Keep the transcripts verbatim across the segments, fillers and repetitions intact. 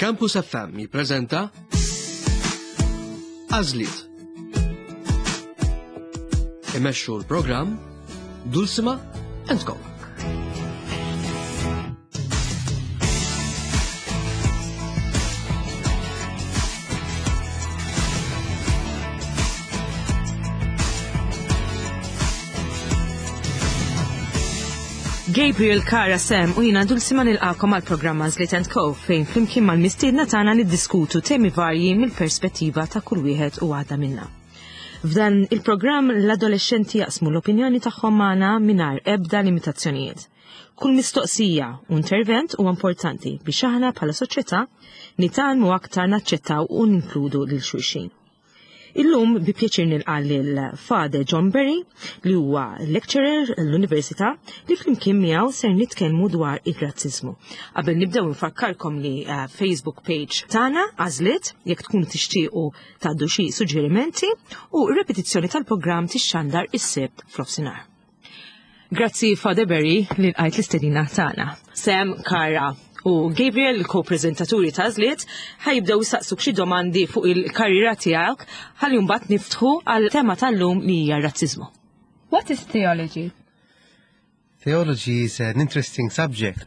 Campus F M jippreżenta Għażliet. Imexxu l-programm Dulcima and Co. Gabriel, Kara, Sam u jiena Dulcima nilqagħkom għal programm Għażliet and Co fejn flimkien mal-mistiedna tagħna niddiskutu temi varji mill-perspettiva ta' kull wieħed u waħda minna. F'dan il-programm l-adolescenti jaqsmu l-opinjoni tagħhom magħna mingħajr ebda limitazzjonijiet. Kull mistoqsija u intervent huwa importanti biex aħna bħala soċjetà nitgħallmu aktar naċċettaw u ninkludu lil xulxin. Illum bi pjaċir nilqa' lil Father John Berry, li huwa lecturer l-Università, li flimkien miegħu ser nitkellmu dwar ir-razzizmu. Qabel nibdew nfakkarkom li uh, Facebook page tagħna Għażliet, jekk tkunu tixtiequ tgħaddu xi suġġerimenti, u repetizzjoni tal-programm tixxandar is-Sibt f'nofsinhar. Grazzi, Father Berry, li lqajt l-istedina tagħna. Sam, Kara u Gabriel, il-ko-prezentaturi ta' Għażliet, ħa jibdew jistaqsuk xi domandi fuq il-karriera tiegħek ħalli mbagħad niftħu għal tema tal-lum li hija razzizmu. What is theology? Theology is an interesting subject.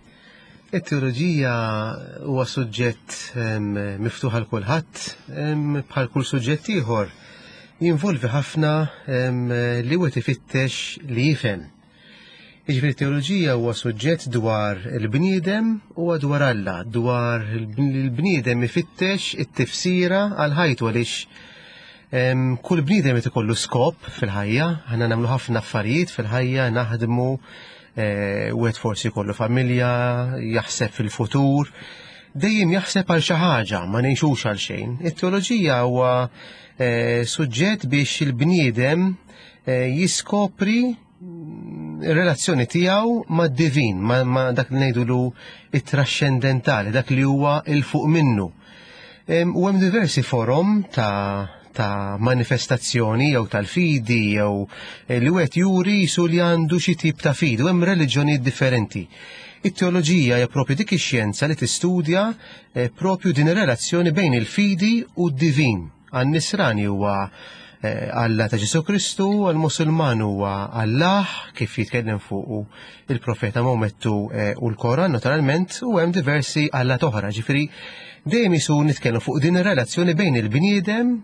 It-teoloġija huwa suġġett em, miftuħ għal kulħadd, em, bħal kull suġġett ieħor. Jinvolvi ħafna em, li wieħed ifittex li jifhem. Jiġifieri teoloġija huwa suġġett dwar il-bniedem u dwar Alla, dwar il-bniedem ifittex it-tifsira għal ħajtu, għaliex em, kull bniedem qed ikollu skop fil-ħajja. Aħna nagħmlu ħafna affarijiet fil-ħajja, naħdmu, eh, wieħed forsi jkollu familja, jaħseb fil-futur, dejjem jaħseb għal xi ħaġa, ma ngħixux għal xejn. It-teoloġija huwa eh, suġġett biex il-bniedem eh, jiskopri ir-relazzjoni tiegħu mad-divin, ma, ma dak li ngħidulu it-trascendentali, dak li huwa 'il fuq minnu. Em, U hemm diversi forom ta' ta' manifestazzjoni jew tal-fidi jew eh, li wieħed juri jisu li għandu xi tip ta' fidi, u hemm reliġjonijiet differenti. It-teoloġija hija propju dik ix-xjenza li tistudja eh, propju din ir-relazzjoni bejn il-fidi u d-divin. Għan-Nisrani huwa eh, Alla ta' Ġesu Kristu, għal-Musulman huwa Allah kif jitkellem fuq il-profeta Maomettu eh, u l-Koran naturalment, u hemm diversi Alla oħra. Ġifieri dejjem jisu nitkellmu fuq din ir-relazzjoni bejn il-bniedem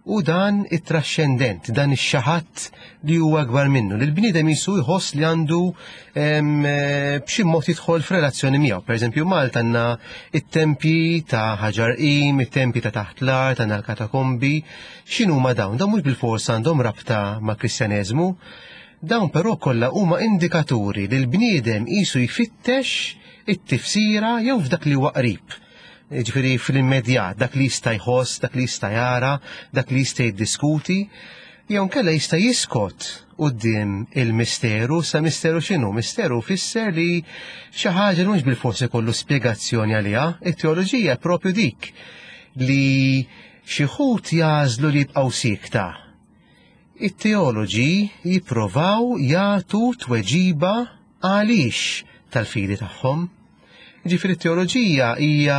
u dan it-trascendent, dan ix-xi ħadd li huwa akbar minnu. Li l-bniedem jisu jħoss li għandu em, eh, b'xi mod jidħol f'relazzjoni miegħu. Per eżempju, Malta għandna it-tempji ta' Ħaġar Qim, it-tempji ta' taħt l-art, għandna l-katakombi. X'inhuma dawn? Dawn mhux bil-fors għandhom rabta ma' Kristjaneżmu. Dawn però kollha huma indikaturi li l-bniedem jisu jfittex it-tifsira jew f'dak li huwa qrib. Ġifieri fl-immedjat, dak li jista' jħoss, dak li jista' jara, dak li jista' jiddiskuti, jew nkella jista' jiskot quddiem il-misteru. Sa misteru x'inhu? Misteru fisser li xi ħaġa li mhux bil-forsi kollu spjegazzjoni għaliha. It-teoloġija propju dik li xi wħud jagħżlu li jibqgħu siekta. It-teoloġi jipprovaw jagħtu tweġiba għaliex tal-fidi tagħhom. Ġifieri teoloġija hija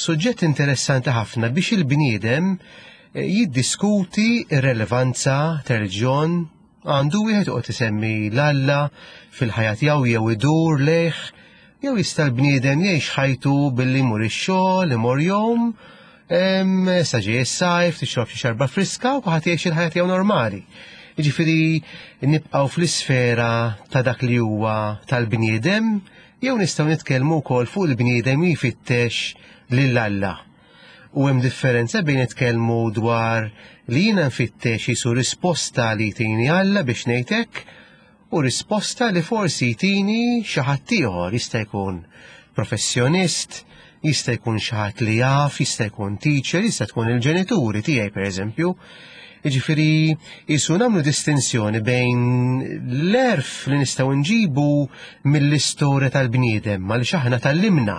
suġġett interessanti ħafna biex il-bniedem eh, jiddiskuti ir-relevanza ta' reliġjon. Għandu wieħed joqgħod isemmi l-Alla fil-ħajja tiegħu jew idur lejh, jew jista' l-bniedem jgħix ħajtu billi jmur ix-xogħol, imur jom, em, sa ġej is-sajf, tixrob xi xarba friska u kulħadd jgħix il-ħajja tiegħu normali. Jiġifieri nibqgħu fl-isfera ta' dak li huwa tal-bniedem, jew nistgħu nitkellmu wkoll fuq il-bniedem jfittex lil Alla. U hemm differenza bejn nitkellmu dwar li jiena nfittex jisu risposta li jtini Alla, biex ngħidlek, u risposta li forsi jtini xi ħadd ieħor, jista' jkun professjonist, jista' jkun xi ħadd li jaf, jista' jkun teacher, jista' tkun il-ġenituri tiegħi, pereżempju. Jiġifieri jisu nagħmlu distinzjoni bejn l-għerf li nistgħu nġibu mill-istorja tal-bniedem, għaliex aħna tgħallimna.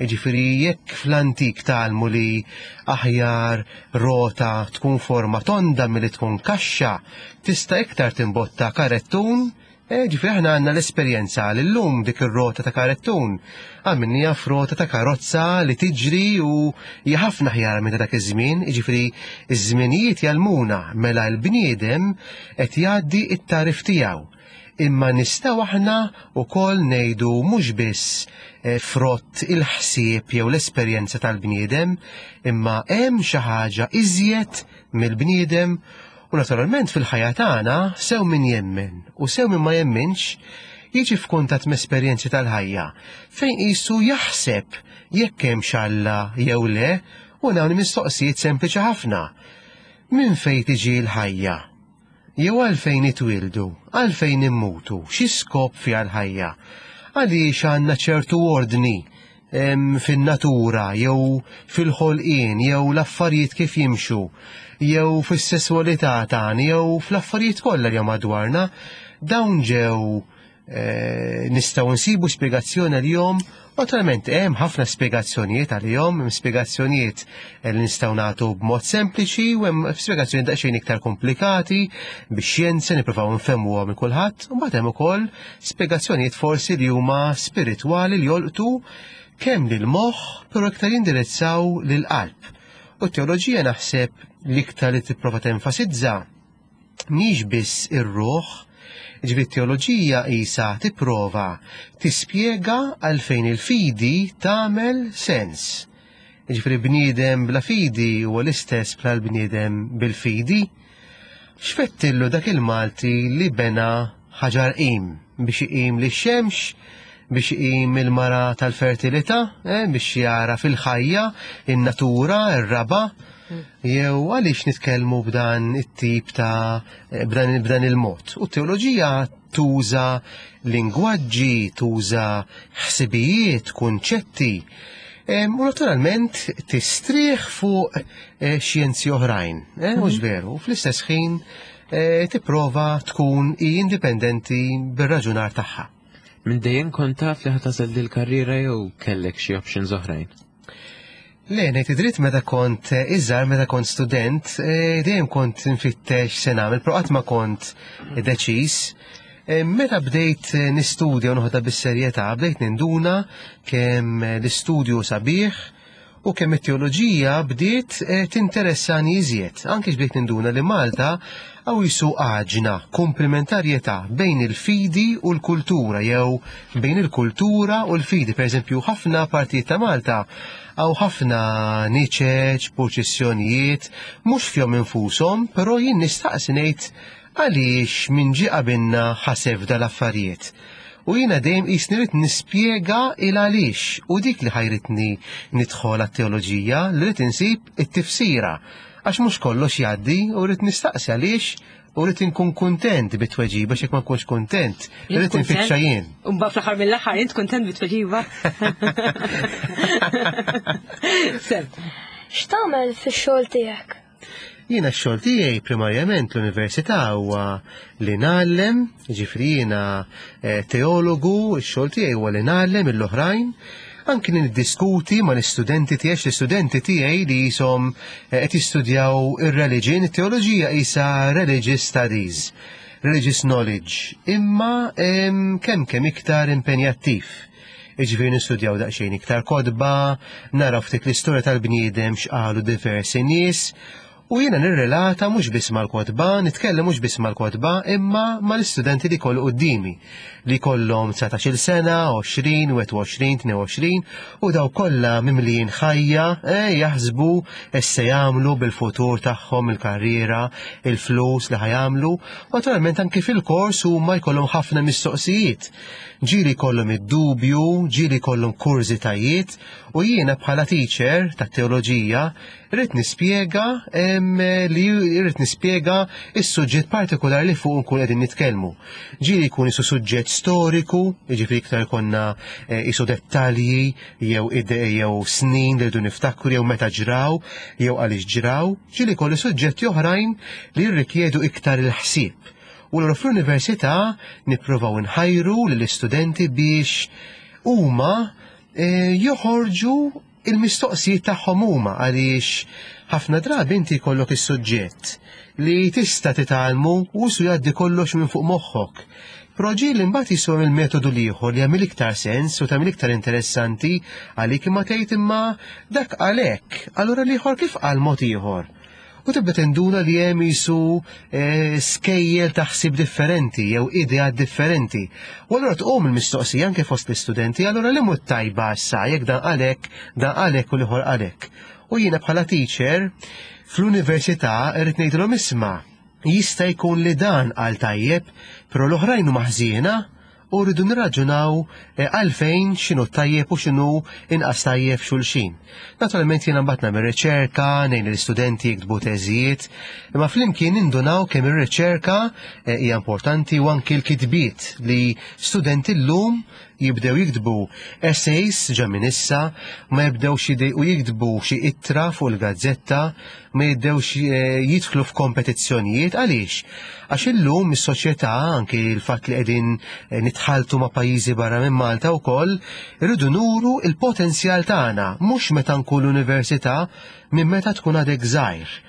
Jiġifieri jekk fl-antik tgħallmu li aħjar rota tkun forma tonda milli tkun kaxxa, tista' iktar timbotta karettun E, ġifieri aħna għandna l-esperjenza li llum dik ir-rota ta' karettun għamilniha f'rota ta' karozza li tiġri u hija ħafna ħjar minn dak iż-żmien, jiġifieri iż-żminijiet jgħallmuna mela l-bniedem qed jgħaddi t-tagħrif tiegħu. Imma nistgħu aħna wkoll ngħidu mhux biss eh, frott il-ħsieb jew l-esperjenza tal-bniedem, imma hemm xi ħaġa iżjed mill-bniedem. U naturalment fil-ħajja tagħna sew min jemmen u sew min ma jemminx jiġi f'kuntatt m'esperjenzi tal-ħajja fejn qisu jaħseb jekk hemmx Alla jew le, u dawn mistoqsijiet sempliċi ħafna. Min fejn tiġi l-ħajja? Jew għalfejn nitwieldu, għalfejn immutu, xi skop fiha l-ħajja? Għaliex għandna ċertu ordni em, fin-natura jew fil-ħolqien jew l-affarijiet kif jimxu jew fis-sesswalità tagħna jew fl-affarijiet kollha li madwarna, dawn ġew eh, nistgħu nsibu spjegazzjoni għalihom. Naturalment hemm ħafna spjegazzjonijiet għalihom, hemm spjegazzjonijiet li nistgħu nagħtu b'mod sempliċi u hemm spjegazzjonijiet daqsxejn iktar komplikati bix-xjenza nippruvaw nfehmuhom minn kulħadd, u mbagħad hemm ukoll spjegazzjonijiet forsi li huma spiritwali li jolqtu kemm lil moħħ però iktar jindirizzaw lil qalb. U t-teoloġija naħseb l-iktar li tipprova tenfasizza mhix biss ir-ruħ, ġifieri t-teoloġija isa tipprova tispjega għalfejn il-fidi tagħmel sens. Ġifieri bniedem bla fidi huwa l-istess bħal bniedem bil-fidi. X'fettillu dak il-Malti li bena ħaġar qim biex iqim lix-xemx, biex iqim il-mara tal-fertilità, eh, biex jara fil-ħajja, in-natura, ir-raba', jew għaliex nitkellmu b'dan it-tip ta' b'dan, b'dan il-mod. U t-teoloġija tuża lingwaġġi, tuża ħsibijiet, kunċetti, em, u naturalment tistrieħ fuq eh, xjenzi oħrajn, eh, mhux veru, fl-istess ħin eh, tipprova tkun indipendenti bir-raġunar tagħha. Minn dejjem kont taf li ħa tagħżel dil-karriera jew kellek xi options oħrajn? Le, ngħid id-dritt meta kont eh, iżgħar, meta kont student, eh, dejjem kont nfittex se nagħmel, però qatt ma kont deċiż. Eh, Meta bdejt eh, nistudja u noħodha bis-serjetà, bdejt ninduna kemm eh, l-istudju sabiħ u kemm it-teoloġija bdiet eh, tinteressani iżjed. Anke bdejt ninduna li Malta hawn qisu għaġna komplementarjetà bejn il-fidi u l-kultura jew bejn il-kultura u l-fidi. Per eżempju, ħafna partijiet ta' Malta hawn ħafna niċeċ, purċissjonijiet, mhux fihom infushom, però jien nistaqsi ngħid għaliex min ġie qabilna ħaseb dal-affarijiet. U jiena dejjem qisni rrid nispjega il għaliex u dik li ħajritni nidħol għat-teoloġija li rrid insib it-tifsira. Għax mhux kollox jgħaddi u rrid nistaqsi għaliex u rrid inkun kuntent bit-tweġiba x'jekk ma nkunx kuntent, rrid infittxa jien. Umba fl-aħħar mill-aħħar int kuntent bit-tweġiba. Sem. X'tagħmel fix-xogħol tiegħek? Jiena x-xogħol tiegħi primarjament l-università huwa li ngħallem, ġifieri jiena eh, teologu, x-xogħol tiegħi huwa li ngħallem l-oħrajn, anki niddiskuti ma l-istudenti tiegħi, l-istudenti tiegħi li jisom eh, qed jistudjaw ir-religion, it-teoloġija isa religious studies, religious knowledge, imma em, kemm kemm iktar impenjattiv. Iġifieri nistudjaw daqsxejn iktar kotba, naraw ftit l-istorja tal-bniedem x'qalu diversi nies, u jiena nirrelata mhux biss mal-kotba, nitkellem mhux biss mal-kotba, imma mal-istudenti li kollu quddiemi, li kollhom dsatax-il sena, għoxrin, wieħed u għoxrin, tnejn u għoxrin, u daw kollha mimlijin ħajja, eh, jaħsbu x'se jagħmlu bil-futur tagħhom, il-karriera, il-flus li ħa jagħmlu. Naturalment anki fil-kors huma jkollhom ħafna mistoqsijiet. Ġieli jkollhom id-dubju, ġieli jkollhom kurżitajiet, u jiena bħala teacher tat-teoloġija rrid nispjega, em, li rrid nispjega is-suġġett partikolari li fuq nkun qegħdin nitkellmu. Ġieli jkun isu suġġett storiku, jiġifieri iktar konna, eh, isu dettalji jew ide jew snin li rridu niftakru jew meta ġraw jew għaliex ġraw, ġieli jkollu suġġetti oħrajn li jirrikjedu iktar il-ħsieb. U allura fl-università nippruvaw nħajru lill-istudenti biex huma, eh, joħorġu il-mistoqsijiet tagħhom huma, għaliex ħafna drabi inti jkollok is-suġġett li tista' titgħallmu u su jgħaddi kollox minn fuq moħħok. Però ġieli mbagħad jiswa il-metodu l-ieħor li jagħmel iktar sens u tagħmel iktar interessanti għalik, imma tgħid imma dak għalhekk, allura l-ieħor kif qal mod ieħor? U tibda tinduna li hemm jisu eh, skejjel ta' ħsieb differenti jew ideat differenti. U allura tqum il-mistoqsija anke fost l-istudenti, allura li mhux tajba issa jekk dan għalhekk, dan għalhekk u l-ieħor għalhekk. U jiena bħala teacher fl-università irrid ngħidilhom isma', jista' jkun li dan qal tajjeb, però l-oħrajn huma ħżiena u rridu nirraġunaw eh, għalfejn x'inhu tajjeb u x'inhu inqas tajjeb xulxin. Naturalment jiena mbagħad nagħmel riċerka, ngħin l-istudenti jiktbu teżijiet, imma flimkien nindunaw kemm ir-riċerka eh, hija importanti u anki l-kitbiet li studenti llum jibdew jiktbu essays ġa minn issa, ma jibdewx u jiktbu xi ittra fuq il-gazzetta, ma jibdewx eh, jidħlu f'kompetizzjonijiet. Għaliex? Għax illum is-soċjetà, anki l-fatt li qegħdin eh, nitħaltu ma' pajjiżi barra minn Malta wkoll, irridu nuru il-potenzjal tagħna, mhux meta nkun l-università, minn meta tkun għadek żgħir.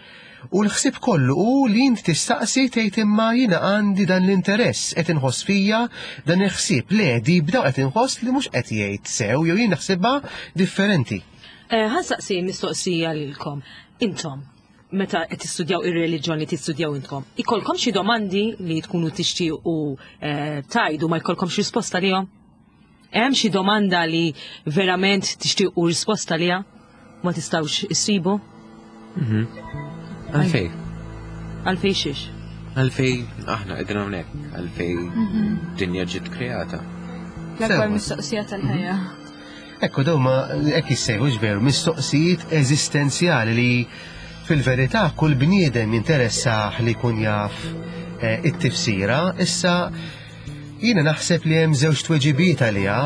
U l-ħsieb kollu hu li int tistaqsi tgħid imma jiena għandi dan l-interess, qed inħoss fija dan il-ħsieb, le di bdaw qed inħoss li mhux qed jgħid sew jew jien naħsibha differenti. Eh, ħa nsaqsi mistoqsija lilkom. Intom, meta qed tistudjaw ir-reliġjon li tistudjaw intkom, ikolkom xi domandi li tkunu tixtiequ eh, tajdu ma jkollkomx risposta lihom? Hemm xi domanda li verament tixtiequ risposta liha ma tistgħux issibu? Għalfej, Għalfej xiex? Għalfej aħna qegħdin hawnhekk, għalfej dinja ġiet kreata. L-akbar Sewa. mistoqsija tal-ħajja. Ekku dawn ma hekk jissejħu veru mistoqsijiet eżistenzjali li fil-verità kull bniedem jinteressah li jkun jaf eh, it-tifsira. Issa jiena naħseb li hemm żewġ tweġibiet għaliha.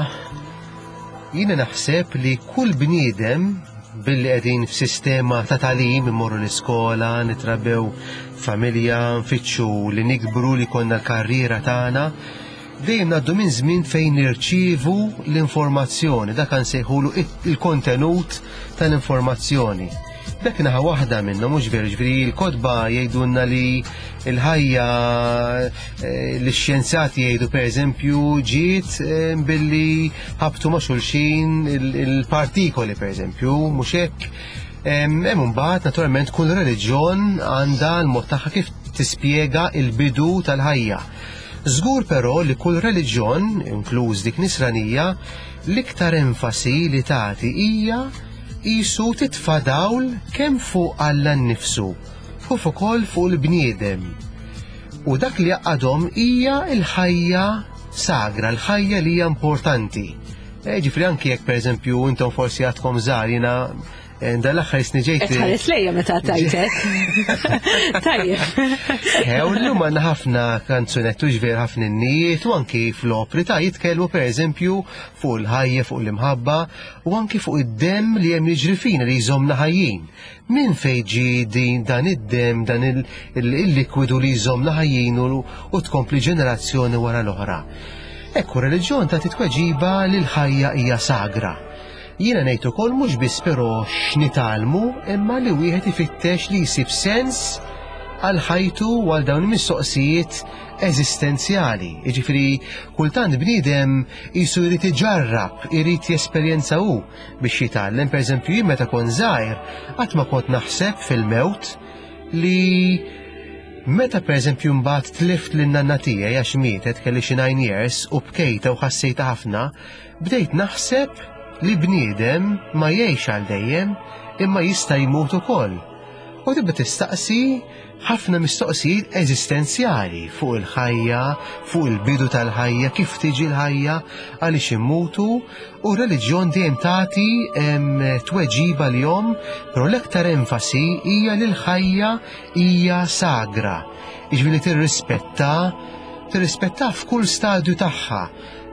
Jiena naħseb li kull bniedem billi qegħdin f'sistema ta' tagħlim, immorru l-iskola, nitrabbew familja, nfittxu li nikbru li konna l-karriera tagħna, dejjem ngħaddu minn żmien fejn nirċievu l-informazzjoni, dak nsejħulu il-kontenut tal-informazzjoni. Dak naħa waħda minnhom, mhux veru, ġifieri l-kotba jgħidulna li l-ħajja, eh, l-xjenzati jgħidu pereżempju ġiet eh, billi ħabtu ma' xulxin il-partikoli pereżempju, mhux hekk. Hemm imbagħad naturalment kull reliġjon għandha l-mod tagħha kif tispjega il-bidu tal-ħajja. Żgur però li kull reliġjon, inkluż dik nisranija, l-iktar enfasi li tagħti hija jisu titfa' dawl kemm fuq Alla nnifsu u ukoll fuq il-bniedem. U dak li jaqadhom hija l-ħajja sagra, l-ħajja li hija importanti. E, ġifieri anki jekk pereżempju intom forsi għadkom żgħar, jiena eh, dal-aħħar jisni ġejt. Tħares lejja meta tajtek. Tajjeb. Eh, u l-lum għandna ħafna kanzunettu ġver ħafna innijiet u anki fl-opri ta' jitkellmu pereżempju fuq il-ħajja, fuq l-imħabba u anki fuq id-dem li hemm jiġri fina li jżommna ħajjin. Min fejn ġie din dan id-dem, dan il- il- il-likwidu li jżommna ħajjin u u tkompli ġenerazzjoni wara l-oħra. Ekku, reliġjon ta' titweġiba li l-ħajja hija sagra. Jiena ngħid ukoll mhux biss però x'nitgħallmu, imma li wieħed ifittex li jsib sens għal ħajtu u għal dawn il-mistoqsijiet eżistenzjali. Jiġifieri kultant bniedem jisu jrid iġarrab, irid jesperjenza hu biex jitgħallem. Pereżempju jien meta kont żgħir qatt ma kont naħseb fil-mewt, li meta pereżempju mbagħad tlift lin-nanna tiegħi għax mietet kelli xi nine years u bkejta u ħassejta ħafna, bdejt naħseb li bniedem ma jgħix għal dejjem imma jista' jmut ukoll. U tibda tistaqsi ħafna mistoqsijiet eżistenzjali fuq il-ħajja, fuq il-bidu tal-ħajja, kif tiġi l-ħajja, għaliex immutu, u reliġjon dejjem tagħti em, tweġiba lihom, però l-aktar enfasi hija li l-ħajja hija sagra. Jiġifieri tirrispetta, tirrispetta f'kull stadju tagħha.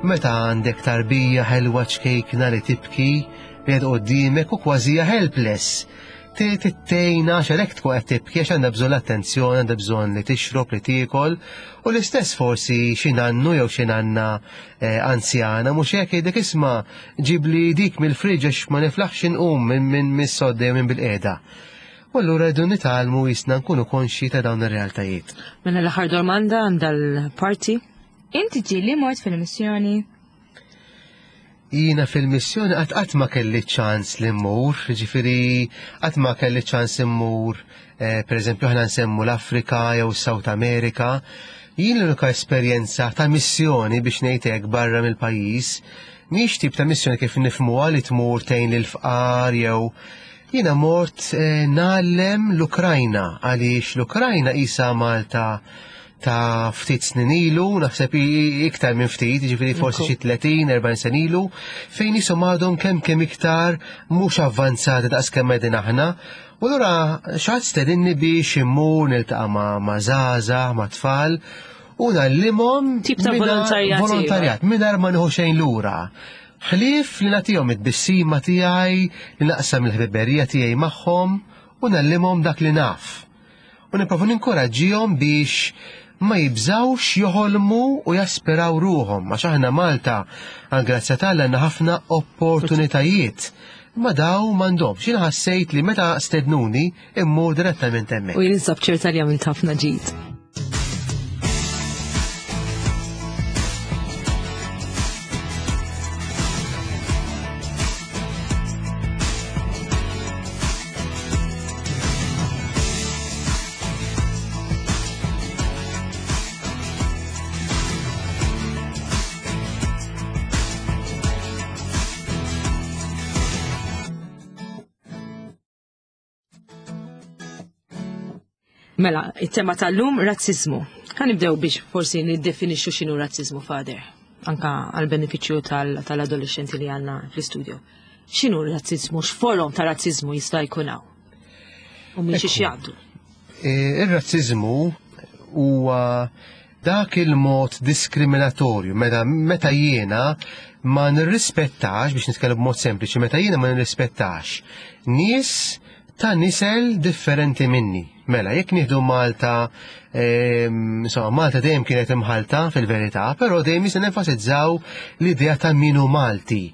Meta għandek tarbija ħelwa ċkejkna li tibki, li qed quddiemek u kważi hija helpless. Tittejna għalhekk tkun qed tibki għax għandha bżonn l-attenzjoni, għandha bżonn li tixrob, li tiekol, u l-istess forsi xi nannu jew xi nanna eh, anzjana, mhux hekk jgħidlek isma' ġibli dik mill-friġ għax ma niflaħx inqum minn minn mis-sodda jew minn bil-qiegħda. U allura rridu nitgħallmu jisna nkunu konxi ta' dawn ir-realtajiet. Mela l-aħħar domanda għandha l-parti. Inti ġieli mort fil-missjoni? Jiena fil-missjoni qatt qatt ma kelli ċans li mmur, ġifieri qatt ma kelli ċans immur, eh, per eżempju aħna nsemmu l-Afrika jew South America. Jien l-unika esperjenza ta' missjoni biex ngħid hekk barra mill-pajjiż, mhix tip ta' missjoni kif nifhmuha li tmur tgħin lill-fqar jew jiena mort eh, ngħallem l-Ukrajna għaliex l-Ukrajna isa Malta ta' ftit snin ilu, naħseb iktar minn ftit, ġifieri forsi xi tletin, erbgħin sen ilu, fejn jisom għadhom kemm kemm iktar mhux avvanzati daqs kemm qegħdin aħna. U allura xi ħadd stedinni biex immur niltaqa' ma' ma' żgħażagħ, ma' tfal, u ngħallimhom Tip ta' mingħajr volontarjat, volontarjat, mingħajr ma nieħu xejn lura. Ħlief li nagħtihom it-tbissima tiegħi, li naqsam il-ħbiberija tiegħi magħhom u ngħallimhom dak li naf. U nipprova ninkoraġġihom biex ma jibżawx joħolmu u jaspiraw ruhom, għax aħna Malta, għal grazzja t'Alla għandna ħafna opportunitajiet. Ma daw m'għandhomx. Jiena ħassejt li meta stednuni immur direttament hemmhekk. U jien insab ċerta li għamilt ħafna ġid. Mela, it-tema tal-lum, razzizmu. Ħa nibdew biex forsi niddefinixxu x'inhu razzizmu, Father, anka għal-benefiċċju tal-adolescenti li għandna fl-istudio. X'inhu razzizmu, x'forom ta' razzizmu jista' jkun hawn? U minn xiex jgħaddu? E, ir-razzizmu huwa dak il-mod diskriminatorju, meta, meta jiena ma nirrispettax, biex nitkellem b'mod sempliċi, meta jiena ma nirrispettax nies ta' nisel differenti minni. Mela, jekk nieħdu Malta, ehm, insomma, Malta dejjem kienet imħalta fil-verità, però dejjem jista' nenfasizzaw l-idea ta' min hu Malti.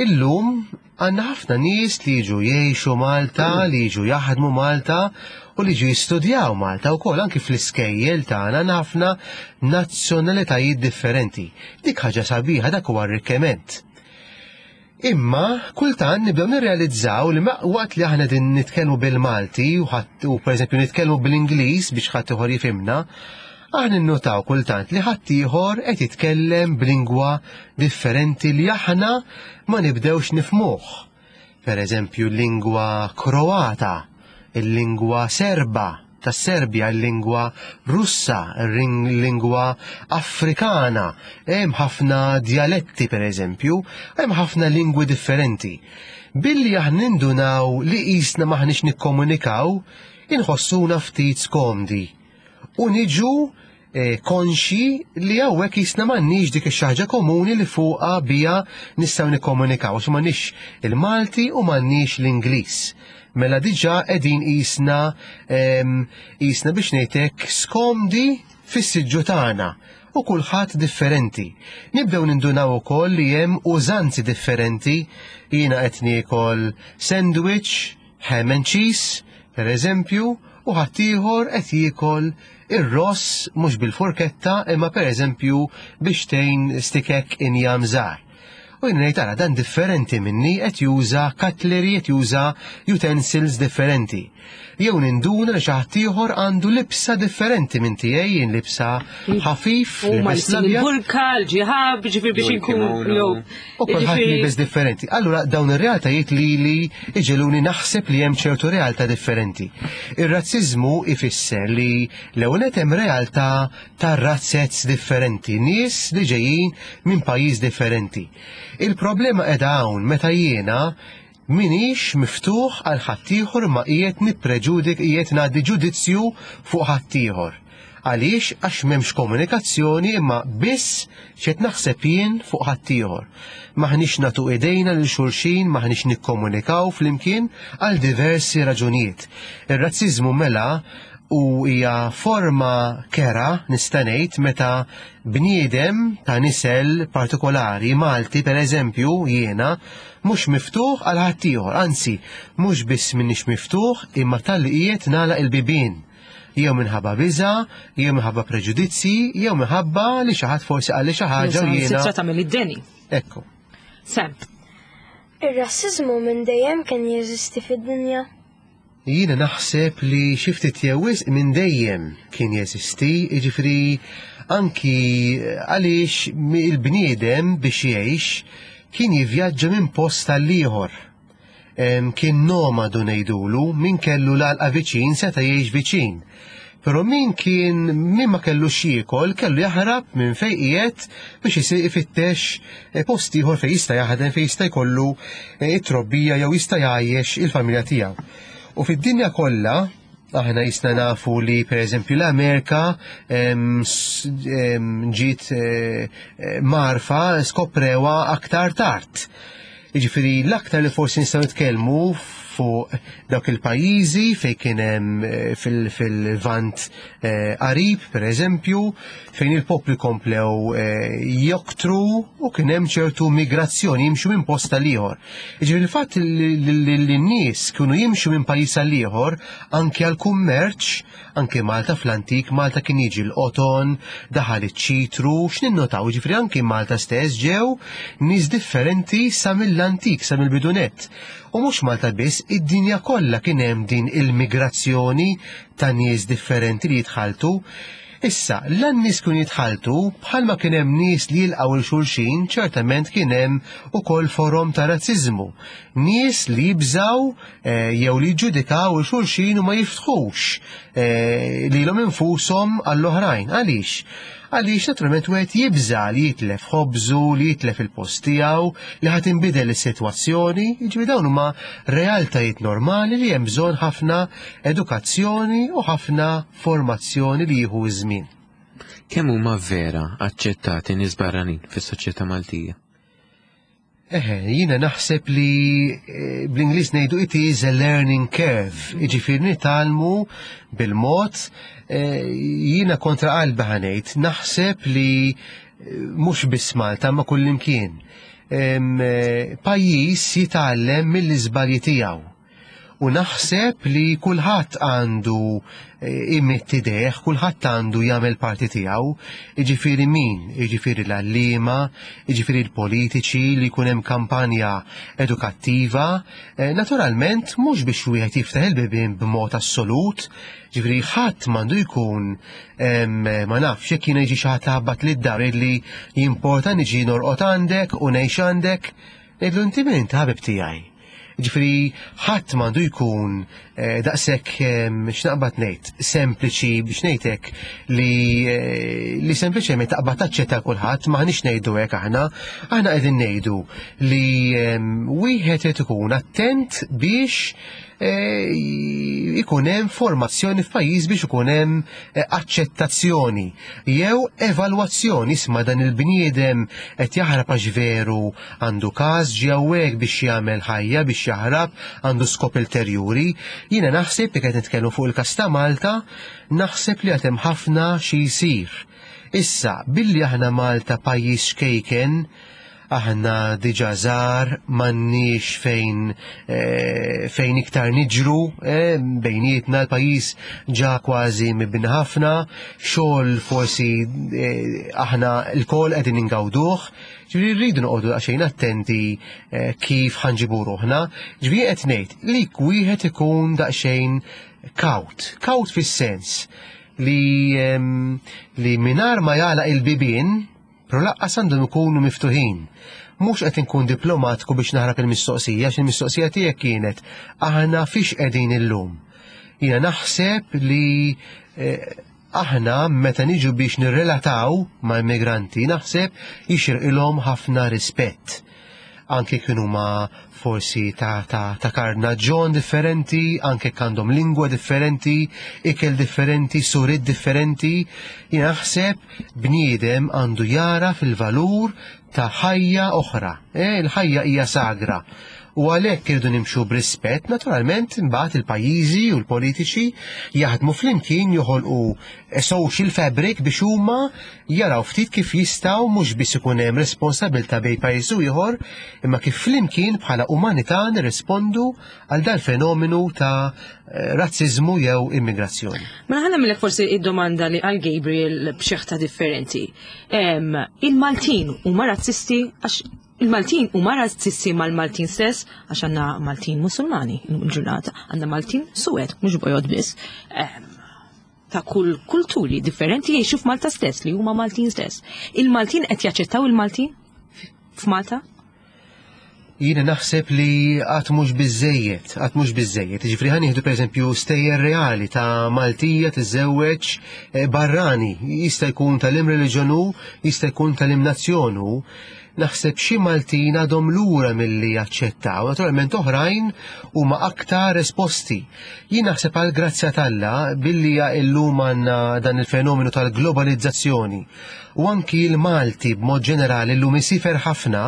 Illum għandna ħafna nies li jiġu jgħixu Malta, li jiġu jaħdmu Malta u li jiġu jistudjaw Malta wkoll, anki fl-iskejjel tagħna għandna ħafna nazzjonalitajiet differenti. Dik ħaġa sabiħa, dak huwa arrikkiment. Imma kultant nibdew nirrealizzaw li waqt li aħna din nitkellmu bil-Malti u ħadd, u pereżempju nitkellmu bil-Ingliż biex ħadd ieħor jifhimna, aħna nnotaw kultant li ħadd ieħor qed jitkellem b'lingwa differenti li aħna ma nibdewx nifhmuh. Pereżempju l-lingwa Kroata, il-lingwa Serba tas-Serbja, il-lingwa Russa, il-lingwa Afrikana. Hemm ħafna djaletti pereżempju, hemm ħafna lingwi differenti. Billi aħna nindunaw li qisna m'aħniex nikkomunikaw, inħossuna ftit skomdi. U niġu, eh, konxi li hawnhekk qisna m'għandniex dik ix-xi ħaġa komuni li fuqha bija nistgħu nikkomunikaw, għax m'għandniex il-Malti u m'għandniex l-Ingliż. Mela diġà qegħdin qisna, em, qisna biex ngħidlek skomdi fis-siġġu tagħna u kulħadd differenti. Nibdew nindunaw ukoll li hemm użanzi differenti. Jiena qed niekol sandwich, ham and cheese, per eżempju, u ħaddieħor qed jiekol ir-ross mhux bil-forketta imma per eżempju biex tgħin stikek injam żgħar. U jien ngħid ara dan differenti minni, qed juża cutlery, qed juża utensils differenti. Jew ninduna li xi ħadd ieħor għandu libsa differenti minn tiegħi, jien libsa ħafif, U ma libes libsin l-abjad. il-burka, l-ġihab, ġifieri biex Jew inkun il-kimono. jew U kulħadd ġifieri libes differenti. Allura dawn ir-realtajiet li li iġeluni naħseb li hemm ċertu realtà differenti. Ir-razziżmu ifisser li l-ewwel nett hemm realtà ta' razzez differenti, nies li ġejjin minn pajjiż differenti. Il-problema qiegħda hawn meta jiena minix miftuħ għal ħaddieħor ma qiegħed nippreġudik, qiegħed ngħaddi ġudizzju fuq ħaddieħor. Għaliex? Għax m'hemmx komunikazzjoni imma biss x'qed naħseb jien fuq ħaddieħor. M'aħniex nagħtu idejna lil xulxin, m'aħniex nikkomunikaw flimkien għal diversi raġunijiet. Ir-razziżmu mela u hija forma kera nista' ngħid meta bniedem ta' nisel partikolari Malti pereżempju jiena mhux miftuħ għal ħaddieħor, anzi mhux biss minix miftuħ imma tal-li qiegħed nagħlaq il-bibien. Jew minħabba biża, jew minħabba preġudizzi, jew minħabba li xi ħadd forsi qalli xi ħaġa u jiena. Sitra tagħmel id-deni. Ekku. Sam. Ir-rassiżmu minn dejjem kien jeżisti fid-dinja. Jiena naħseb li xi ftit jew wisq minn dejjem kien jeżisti, jiġifieri anki għaliex il-bniedem biex jgħix kien jivvjaġġa minn post għal ieħor. Kien nomadu ngħidulu, min kellu l-għalqa viċin seta' jgħix viċin. Però min kien min ma kellu x'jiekol kellu jaħrab minn fejn qiegħed biex isir ifittex eh, post ieħor fejn jista' jaħdem, fejn jista' jkollu eh, it-trobbija jew jista' jgħajjex il-familja tiegħu. U fid-dinja kollha aħna jisna nafu li per eżempju l-Amerika em, s- em, ġiet eh, eh, marfa skoprewa aktar tard. Jiġifieri l-aktar li forsi nistgħu nitkellmu fuq dawk il-pajjiżi fejn kien hemm eh, fil- fil-Lvant eh, qarib, per eżempju, fejn il-popli komplew eh, joktru u kien hemm ċertu migrazzjoni, jimxu minn post għal ieħor. Jiġifieri il-fatt li li- li n-nies kienu jimxu minn pajjiż għal ieħor anke għal kummerċ, anke Malta fl-antik, Malta kien jiġi l-qoton, daħal iċ-ċitru, x'ninnotaw, jiġifieri anke Malta stess ġew nies differenti sa mill-antik, sa mill-bidu nett. U mhux Malta biss, id-dinja kollha kien hemm din il-migrazzjoni ta' nies differenti li jitħaltu. Issa, l-nies kun jitħaltu, bħalma kien hemm nies li jilqgħu 'l xulxin, ċertament kien hemm ukoll forom ta' razziżmu. Nies li jibżaw eh, jew li jġudikaw 'il xulxin u ma jiftħux eh, lilhom infushom għall-oħrajn. Għaliex? Għaliex naturalment wieħed jibża li jitlef ħobżu, li jitlef il-post tiegħu, li ħa tinbidel is-sitwazzjoni, jiġifieri dawn huma realtajiet normali li hemm bżonn ħafna edukazzjoni u ħafna formazzjoni li jieħu ż-żmien. Kemm huma vera aċċettati nies barranin fis-soċjetà Maltija? Eħe, jiena naħseb li eh, bl-Ingliż ngħidu "it is a learning curve", jiġifieri nitgħallmu bil-mod, eh, jiena kontra qalbi ħa ngħid, naħseb li eh, mhux biss Malta ma kullimkien. Em, eh, Pajjiż jitgħallem mill-iżbalji tiegħu. U naħseb li kulħadd għandu eh, imidd idejh, kulħadd għandu jagħmel parti tiegħu, jiġifieri min, jiġifieri l-għalliema, jiġifieri l-politiċi li jkun hemm kampanja edukattiva, eh, naturalment mhux biex wieħed jiftaħ il-bibien b'mod assolut, ġifieri ħadd m'għandu jkun em, ma nafx jekk jiena jiġi xi ħadd ħabbat lid-dar li jimporta niġi norqod għandek u ngħix għandek, ngħidlu: "Inti min inti, ħabib tiegħi?" Ġifieri, ħadd m'għandu jkun eh, daqshekk em, x'naqbad ngħid, sempliċi biex ngħidlek li eh, li sempliċement taqbad taċċetta kulħadd, m'aħniex ngħidu hekk aħna, aħna qegħdin ngħidu li em, wieħed irid ikun attent biex eh, ikun hemm formazzjoni f'pajjiż, biex ikun hemm eh, aċċettazzjoni jew evalwazzjoni: isma', dan il-bniedem qed jaħrab għax veru għandu każ, ġie hawnhekk biex jagħmel ħajja, biex jaħrab, għandu skop ulterjuri. Jiena naħseb li qed nitkellmu fuq il-każ ta' Malta, naħseb li għad hemm ħafna xi jsir. Issa, billi aħna Malta pajjiż xkejken, aħna diġà żgħar, m'għandniex fejn eh, fejn iktar niġru eh, bejnietna l-pajjiż ġa kważi mibni ħafna, xogħol forsi eh, aħna lkoll qegħdin ingawduh, ġifieri rridu noqogħdu daqsxejn attenti eh, kif ħa nġibu ruħna. Ġifieri qed ngħid li wieħed ikun daqsxejn kawt, kawt fis-sens li em, li mingħajr ma jagħlaq il-bibien, però lanqas għandhom ikunu miftuħin. Mhux qed inkun diplomatiku biex naħrab il-mistoqsija, għax il-mistoqsija tiegħek kienet aħna fiex qegħdin illum. Jiena naħseb li eh, aħna meta niġu biex nirrelataw ma' immigranti, naħseb jixirqilhom ħafna rispett. Anke kienu ma forsi ta', ta, ta' karnaġġon differenti, anke għandhom lingwa differenti, ikel differenti, suriet differenti, jien naħseb bniedem għandu jara fil-valur ta' ħajja oħra. Eh, il-ħajja hija sagra. U għalhekk irridu nimxu b'rispett, naturalment imbagħad il-pajjiżi u l-politiċi jaħdmu flimkien, joħolqu social fabric biex huma jaraw ftit kif jistgħu mhux biss ikun hemm responsabilità bejn pajjiż u ieħor, imma kif flimkien bħala umanità nirrispondu għal dal-fenomenu ta' eh, razziżmu jew immigrazzjoni. Mela ħa nagħmillek forsi id-domanda li għal Gabriel b'xeħta differenti. Em, Il-Maltin huma razzisti, għax il-Maltin huma razzisti mal-Maltin stess, għax għandna Maltin Musulmani il-ġurnata, għandna Maltin Suwed, mhux bojod biss. Em, ta' kull kulturi differenti jgħixu f'Malta stess li huma Maltin stess. Il-Maltin qed jaċċettaw il-Maltin f'Malta? Jiena naħseb li għad mhux biżejjed, għad mhux biżejjed. Ġifieri ħa nieħdu pereżempju stejjer reali ta' Maltija tiżżewweġ eh, barrani, jista' jkun ta' liema reliġjon hu, jista' jkun ta' liema nazzjon hu. Naħseb xi Maltin għadhom lura milli jaċċettaw, naturalment oħrajn huma aktar esposti. Jien naħseb għal grazzja t'Alla billi illum għandna dan il-fenomenu tal-globalizzazzjoni u anki l-Malti b'mod ġenerali llum isiefer ħafna,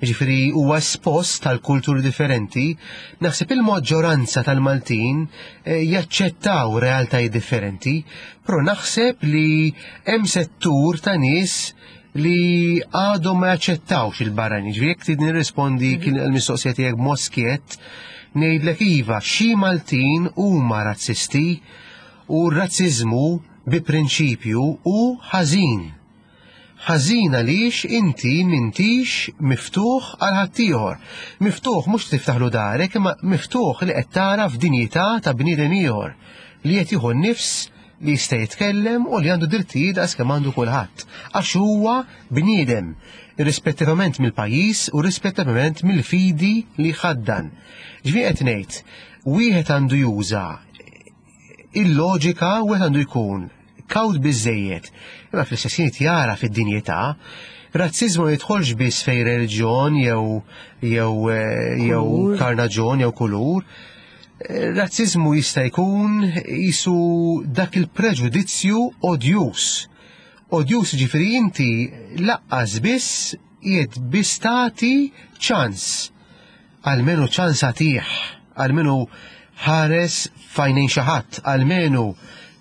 ġifieri huwa espost tal-kulturi differenti, naħseb il-maġġoranza tal-Maltin eh, jaċċettaw realtajiet differenti, però naħseb li hemm settur ta' nies li għadhom ma jaċċettawx il-barrani. Ġifieri jekk trid nirrispondi kien il-mistoqsija tiegħek b'mod skjett, ngħidlek iva, xi Maltin huma razzisti u r-razziżmu bi prinċipju hu ħażin. Ħażin għaliex inti m'intix miftuħ għal ħaddieħor. Miftuħ mhux tiftaħlu darek, imma miftuħ li qed tara f'dinjità ta' bniedem ieħor li qed jieħu n-nifs, li jista' jitkellem u li għandu drittijiet daqs kemm għandu kulħadd. Għax huwa bniedem, irrispettivament mill-pajjiż u rispettivament mill-fidi li ħaddan. Ġifieri qed ngħid, wieħed għandu juża il-loġika, wieħed għandu jkun kawt biżejjed, imma fl-istess ħin jara fid-dinjità. Razzizmu jidħolx biss fej reliġjon jew jew eh, jew Kulur. karnaġjon jew kulur. Eh, Razzizmu jista' jkun jisu dak il-preġudizzju odjus. Odjus ġifieri inti lanqas biss qiegħed biss tagħti ċans. Almenu ċans għatih, almenu ħares f'għajnejn xi ħadd, almenu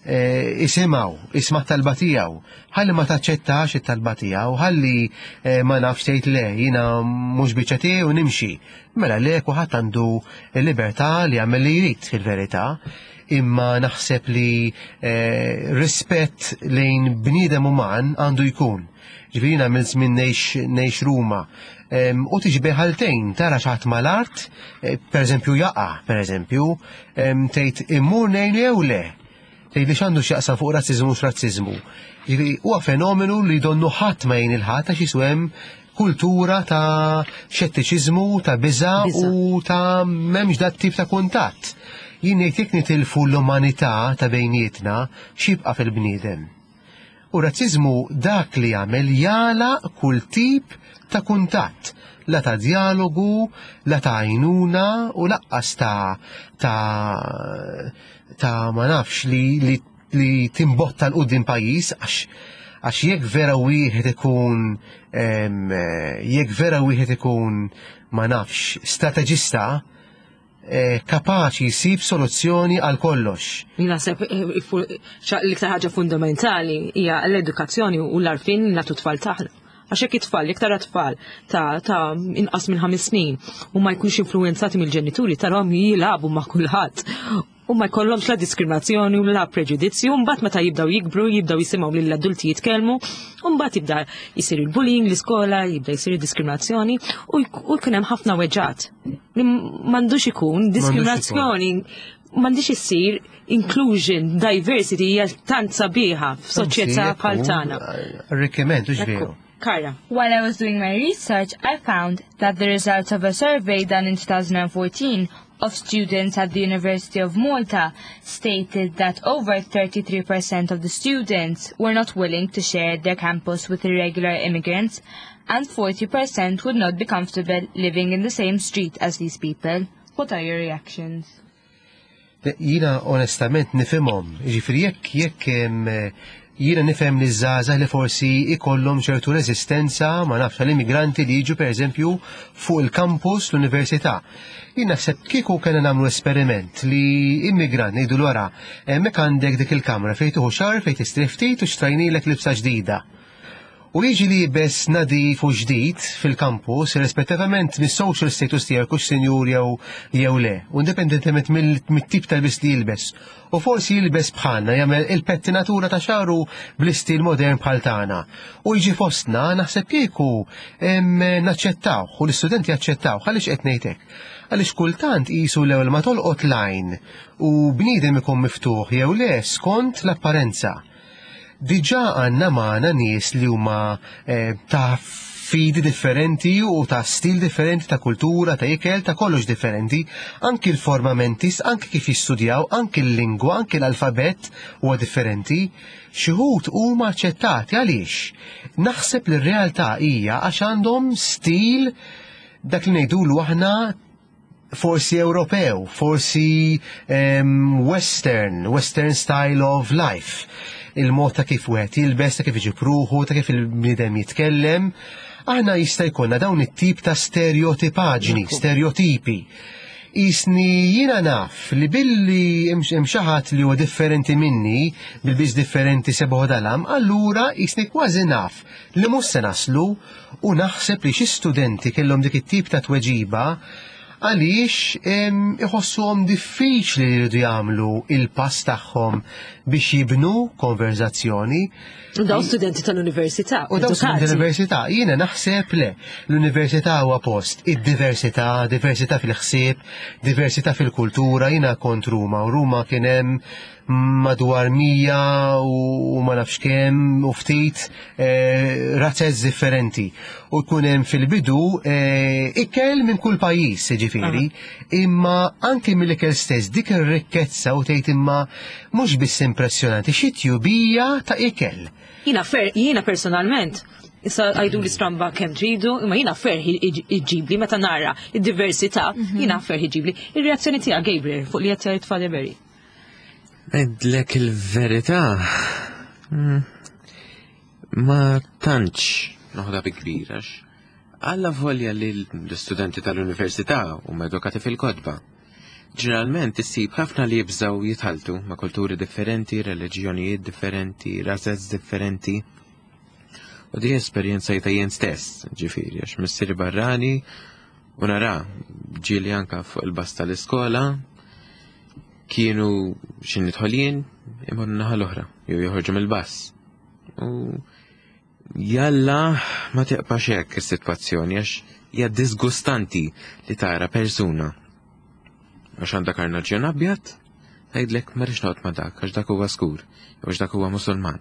eh, isimgħu, isma' talba tiegħu. Ħalli ma taċċettax it-talba tiegħu, ħalli eh, ma nafx tgħid le, jiena mhux biċċa tiegħi u nimxi. Mela le, kulħadd għandu l-libertà li jagħmel li jrid fil-verità. Imma naħseb li eh, rispett lejn bniedem uman għandu jkun. Ġifieri jiena minn żmien ngħix ngħix Ruma. Em, U tiġi ħaltejn, tara xi ħadd mal-art, eh, per eżempju jaqa', per eżempju, em, tgħid immur ngħin jew le. Tgħid li x'għandu x'jaqsam fuq razziżmu mhux razziżmu. Ġifieri huwa fenomenu li donnu ħadd ma jgħin il-ħadd għax jisu hemm kultura ta' xettiċiżmu, ta' biża' Biża'. u ta' m'hemmx dat tip ta' kuntatt. Jien ngħid jekk nitilfu l-umanità ta' bejnietna, x'jibqa' fil-bniedem? U razziżmu dak li jagħmel jagħlaq kull tip ta' kuntatt, la ta' dialogu, la ta' għajnuna u lanqas ta' ta' ta' ma nafx li li, li timbotta 'l quddiem pajjiż, għax għax jekk vera wieħed ikun em, jekk vera wieħed ikun, ma nafx, strateġista eh, kapaċi jsib soluzzjoni għal kollox. Jien naħseb eh, fu- xa- l-iktar ħaġa fundamentali hija l-edukazzjoni u l-għarfien li nagħtu tfal tagħna. Għax jekk it-tfal, jekk tara tfal ta' ta' inqas minn ħames snin u ma jkunx influenzati mill-ġenituri, tarahom jilagħbu ma' kulħadd u ma jkollhomx la diskriminazzjoni u la preġudizzju, mbagħad meta jibdew jikbru, jibdew jisimgħu lill-adulti jitkellmu, u mbagħad jibda jsir il-bullying l-iskola, jibda jsir il-diskriminazzjoni u jk- u jkun hemm ħafna weġġat. Li m'għandux ikun diskriminazzjoni, m'għandix issir inclusion, diversity hija tant sabiħa f'soċjetà bħal tagħna. Arricchiment, hux veru. Kara. While I was doing my research, I found that the results of a survey done in twenty fourteen of students at the University of Malta stated that over thirty-three percent of the students were not willing to share their campus with irregular immigrants and forty percent would not be comfortable living in the same street as these people. What are your reactions? Jiena onestament nifhimhom, ġifieri jekk jekk hemm Jiena nifhem li żgħażagħ li forsi ikollhom ċertu reżistenza ma nafx għall-immigranti li jiġu pereżempju fuq il-campus l-università. Jien naħseb kieku kellna nagħmlu esperiment li immigrant ngħidu wara hemmhekk għandek dik il-kamra fejn tieħu shower fejn tistrieħ ftit u xtrajnilek libsa ġdida. U jiġi liebes nadif u ġdid fil-campus, rispettivament mis-social status tiegħek hux sinjur jew jew le, u indipendentement mill-tip tal-libs li jilbes. U forsi jilbes bħalna jagħmel il-pettinatura ta' xagħru bl-istil modern bħal tagħna. U jiġi fostna naħseb kieku naċċettaw u l-istudenti jaċċettaw għaliex qed ngħidlek. Għaliex kultant qisu l-ewwel ma tolqot l-għajn u bniedem ikun miftuħ jew le skont l-apparenza. Diġà għandna magħna nies li huma eh, ta' fidi differenti u ta' stil differenti, ta' kultura, ta' ikel, ta' kollox differenti, anki l-forma mentis, anki kif jistudjaw, anki l-lingwa, anki l-alfabet huwa differenti. Xi wħud huma aċċettati għaliex? Naħseb li r-realtà hija għax għandhom stil dak li ngħidulu aħna forsi Ewropew, forsi um, Western, Western style of life. Il-mod ta' kif wieħed jilbes, ta' kif iġib ruħu, ta' kif il-bniedem jitkellem. Aħna jista' jkollna dawn it-tip ta' stereotipaġni, stereotipi. Jiġifieri jiena naf li billi hemm xi ħadd li huwa differenti minni, bil-lbies differenti sebgħa dalam, allura jiġifieri kważi naf li mhux se naslu u naħseb li xi studenti kellhom dik it-tip ta' tweġiba għaliex iħossuhom diffiċli li jridu jagħmlu il-pass tagħhom biex jibnu konverzazzjoni. U daw studenti tal-università. U daw studenti tal-università, jiena naħseb le, l-università huwa post id-diversità, diversità fil-ħsieb, diversità fil-kultura, jiena kont Ruma, u Ruma kien hemm madwar mija u ma nafx kemm u ftit eh, razzez differenti. U jkun hemm fil-bidu eh, ikel minn kull pajjiż, ġifieri, imma anke mill-ikel stess dik ir-rikkezza u tgħid imma mhux biss impressjonanti, xi tjubija ta' ikel. Jiena fer, jiena personalment, issa għidu li stramba kemm tridu, imma jiena ferħ iġibli meta nara id-diversità, jiena ferħ iġibli. Ir-reazzjoni tiegħek Gabriel fuq li qed jgħid Father Barry. Ngħidlek il-verità, mm, ma tantx noħodha bi kbir, għax alla volja li l-studenti tal-università huma edukati fil-kotba. Ġeneralment issib ħafna li jibżaw jitħaltu ma' kulturi differenti, reliġjonijiet differenti, razez differenti. U di esperjenza ta' jien stess, ġifieri, għax missieri barrani u nara ġieli anka fuq il-bus tal-iskola kienu x'ħin nidħol jien imorru naħa l-oħra, jew joħorġu mill-bus. U jalla ma tibqax hekk is-sitwazzjoni għax hija disgustanti li tara persuna għax għandha karnaġġjon abjad, tgħidlek ma rridx noqgħod ma' dak għax dak huwa skur, jew għax dak huwa Musulman.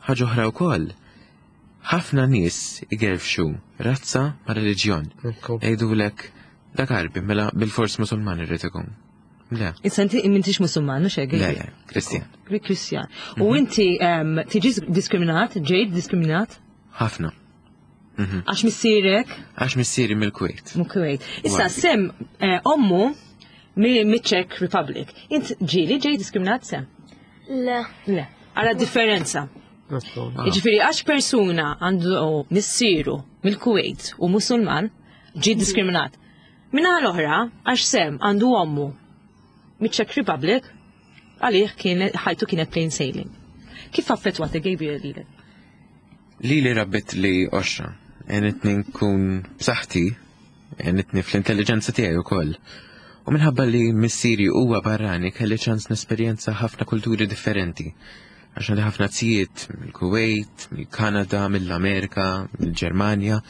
Ħaġa oħra wkoll, ħafna nies igerfxu razza ma' reliġjon. Jgħidulek dak Għarbi mela bil-fors Musulman irrid ikun. Le. Issa inti m'intix Musulman, mhux hekk? Le, le, Kristjan. Kristjan. U inti em, tiġi diskriminat, ġejt diskriminat? Ħafna. Mhm. Għax missierek Għax missieri mill-Kuwait. Mill-Kuwait. Issa Għarbi. Sem eh, ommu mi-Czech Republic. Int ġieli ġejt diskriminat Sem? Le. Le. Għala differenza. Jiġifieri għax persuna għandu missieru mill-Kuwait u Musulman ġi diskriminat. Min-naħa l-oħra, għax Sem għandu ommu miċ-Czech Republic, għalih kien ħajtu kienet plain sailing. Kif affettwat Gabriel lilek? Li li rabbitli qoxra, għenitni nkun b'saħħti, għenitni fl-intelligenza tiegħi wkoll. U minħabba li missieri huwa barrani kelli ċans nesperjenza ħafna kulturi differenti. Għax għandi ħafna zijiet mill-Kuwait, mill-Kanada, mill-Amerika, mill-Ġermanja.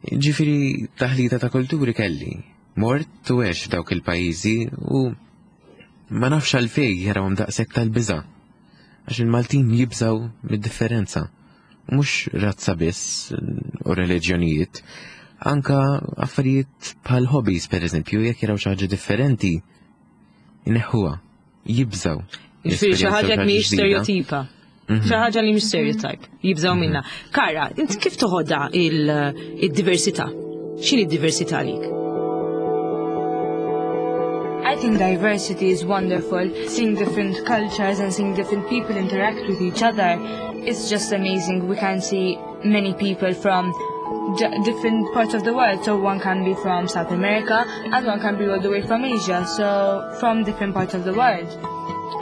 Ġifieri taħlita ta' kulturi kelli. Mort u għext f'dawk il-pajjiżi u ma nafx għalfej jarawhom daqshekk tal-biża'. Għax il-Maltin jibżaw mid-differenza. Mhux razza biss u reliġjonijiet, anka affarijiet bħal hobbies per eżempju, jekk jaraw xi ħaġa differenti, ineħħuha, jibżaw. Jiġifieri xi ħaġa mhijiex ġdida. stereotipa. Xi ħaġa li mhix stereotype, jibżaw minna. Kara, int kif toħodha il-diversità? X'inhi d-diversità għalik? I think diversity is wonderful. Seeing different cultures and seeing different people interact with each other is just amazing. We can see many people from different parts of the world. So one can be from South America and one can be all the way from Asia. So from different parts of the world.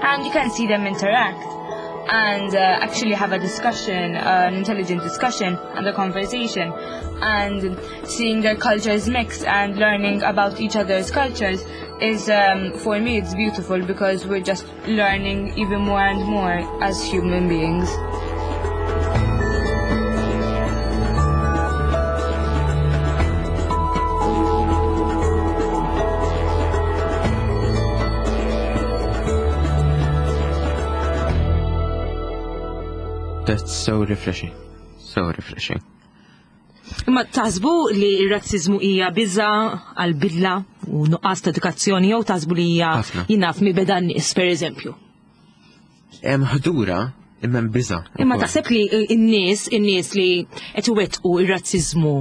And you can see them interact and uh, actually have a discussion, uh, an intelligent discussion and a conversation, and seeing their cultures mix and learning about each other's cultures is, um, for me, it's beautiful because we're just learning even more and more as human beings. That's so refreshing. So refreshing. Imma taħsbu li r-razzizmu hija biża għal bidla u nuqqas ta' edukazzjoni jew taħsbu li hija jinaf mi beda n-nies, per eżempju? Hemm ħdura imma hemm biża. Imma taħseb li n-nies, in-nies li qed iwettqu r-razziżmu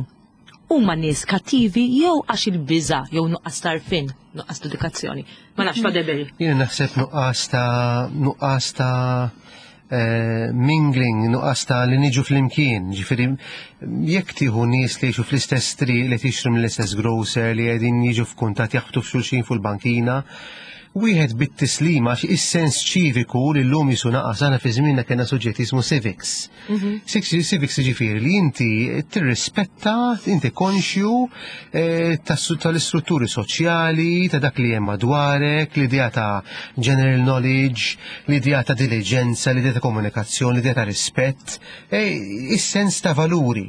huma nies kattivi jew għax il-biża jew nuqqas tarfin, nuqqas ta' edukazzjoni. Ma nafx Father. Jiena naħseb nuqqas ta' nuqqas ta' mingling, nuqqas ta' li niġu fl-imkien, ġifieri jekk tieħu nies li jgħixu fl-istess triq, li tixtru mill-istess grocer, li qegħdin jiġu f'kuntatt jaħbtu f'xulxin fuq il-bankina, wieħed bit-tislima is-sens ċiviku li llum jisu naqas. Aħna fi żmienna kellna suġġett jismu civics. Civics jiġifieri li inti tirrispetta, inti konxju tal-istrutturi soċjali, ta' dak li hemm madwarek, l-idea ta' general knowledge, l-idea ta' diligenza, l-idea ta' komunikazzjoni, l-idea ta' rispett, is-sens ta' valuri.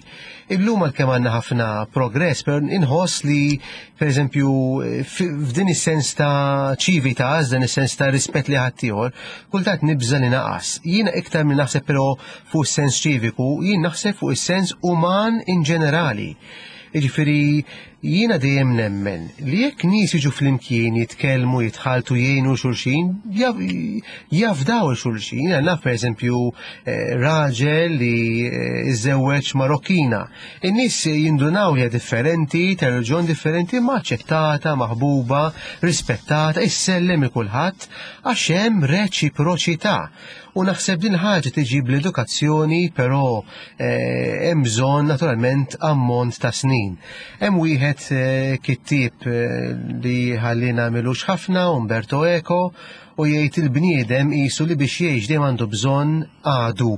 Illum għalkemm għandna ħafna progress, però inħoss li pereżempju f'din is-sens ta' ċivita, dan is-sens ta' rispett li ħaddieħor, kultant nibża li naqas. Jiena iktar minn naħseb però fuq is-sens ċiviku, jien naħseb fuq is-sens uman in ġenerali. Jiġifieri jiena dejjem nemmen li jekk nies jiġu flimkien jitkellmu, jitħaltu, jgħinu xulxin, jafdaw xulxin. Jiena naf pereżempju raġel li iżżewweġ Marokkina. In-nies jindunaw li differenti, ta' reliġjon differenti, ma aċċettata, maħbuba, rispettata, issellem il kulħadd għax hemm reċiproċità. U naħseb din ħaġa tiġi bl-edukazzjoni, però hemm bżonn naturalment ammont ta' snin. Hemm wieħed kittieb li ħallina milux ħafna, Umberto Eco, u jgħid il-bniedem qisu li biex jgħix dejjem għandu bżonn għadu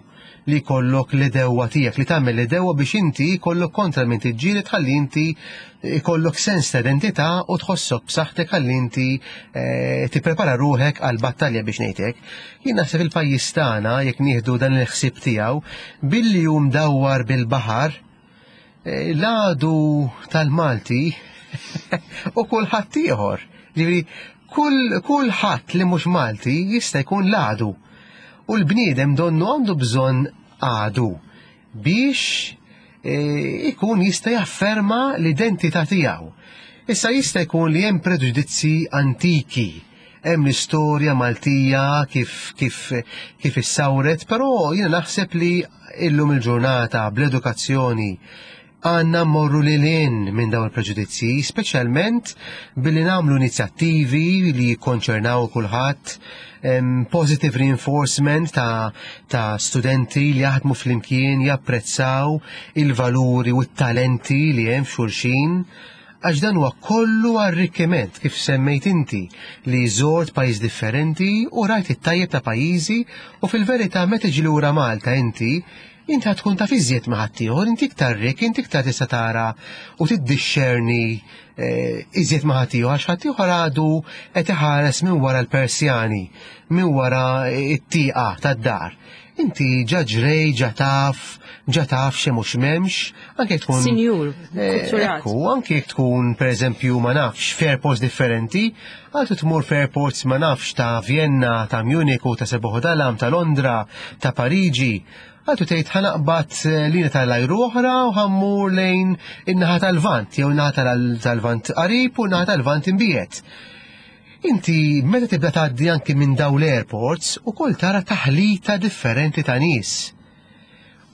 li jkollok l-idewwa tiegħek, li tagħmel l-idewwa biex inti jkollok kontra minn tiġġieled ħalli inti jkollok sens ta' identità u tħossok b'saħħtek ħalli inti tipprepara ruħek għal battalja biex ngħidlek. Jien naħseb il-pajjiż tagħna jekk nieħdu dan il-ħsieb tiegħu billi hu mdawwar bil-baħar, l-għadu tal-Malti u kulħadd ieħor. Ġifieri kulħadd li mhux Malti jista' jkun l-għadu. U l-bniedem donnu għandu bżonn għadu biex ikun jista' jafferma l-identità tiegħu. Issa jista' jkun li hemm preġudizzi antiki, hemm l-istorja Maltija kif kif kif issawret, però jiena naħseb li illum il-ġurnata bl-edukazzjoni għanna morru lil hinn minn dawn il-preġudizzi, speċjalment billi nagħmlu inizjattivi li jikkonċernaw kulħadd, positive reinforcement ta', ta' studenti li jaħdmu flimkien, japprezzaw il-valuri u t-talenti li hemm f'xulxin, għax dan huwa kollu arrikkiment kif semmejt inti li żort pajjiż differenti u rajt it-tajjeb ta' pajjiżi u fil-verità meta tiġi lura Malta inti inti tkun taf iżjed ma' ħaddieħor, inti iktar rik, inti iktar tista' tara u tiddixxerni iżjed ma' ħaddieħor, għax ħaddieħor għadu qed iħares minn wara l-Persjani, minn wara t-tieqa tad-dar. Inti ġa ġrej, ġa taf, ġa taf xi mhux m'hemmx, anke tkun Sinjur, kulturat. Ekku, anke jekk tkun pereżempju ma nafx f'airports differenti, għaltu tmur f'airports ma nafx ta' Vienna, ta' Munich, ta' Seboħodalam, ta' Londra, ta' Pariġi. Għaltu tgħid ħanaqbad lina tal-ajru oħra u ħammur lejn in-naħa tal-Lvant, jew in-naħa tal-Lvant qarib u n-naħa tal-Lvant imbiet. Inti meta tibda tgħaddi anki minn dawn l-airports ukoll tara taħlita differenti ta' nies.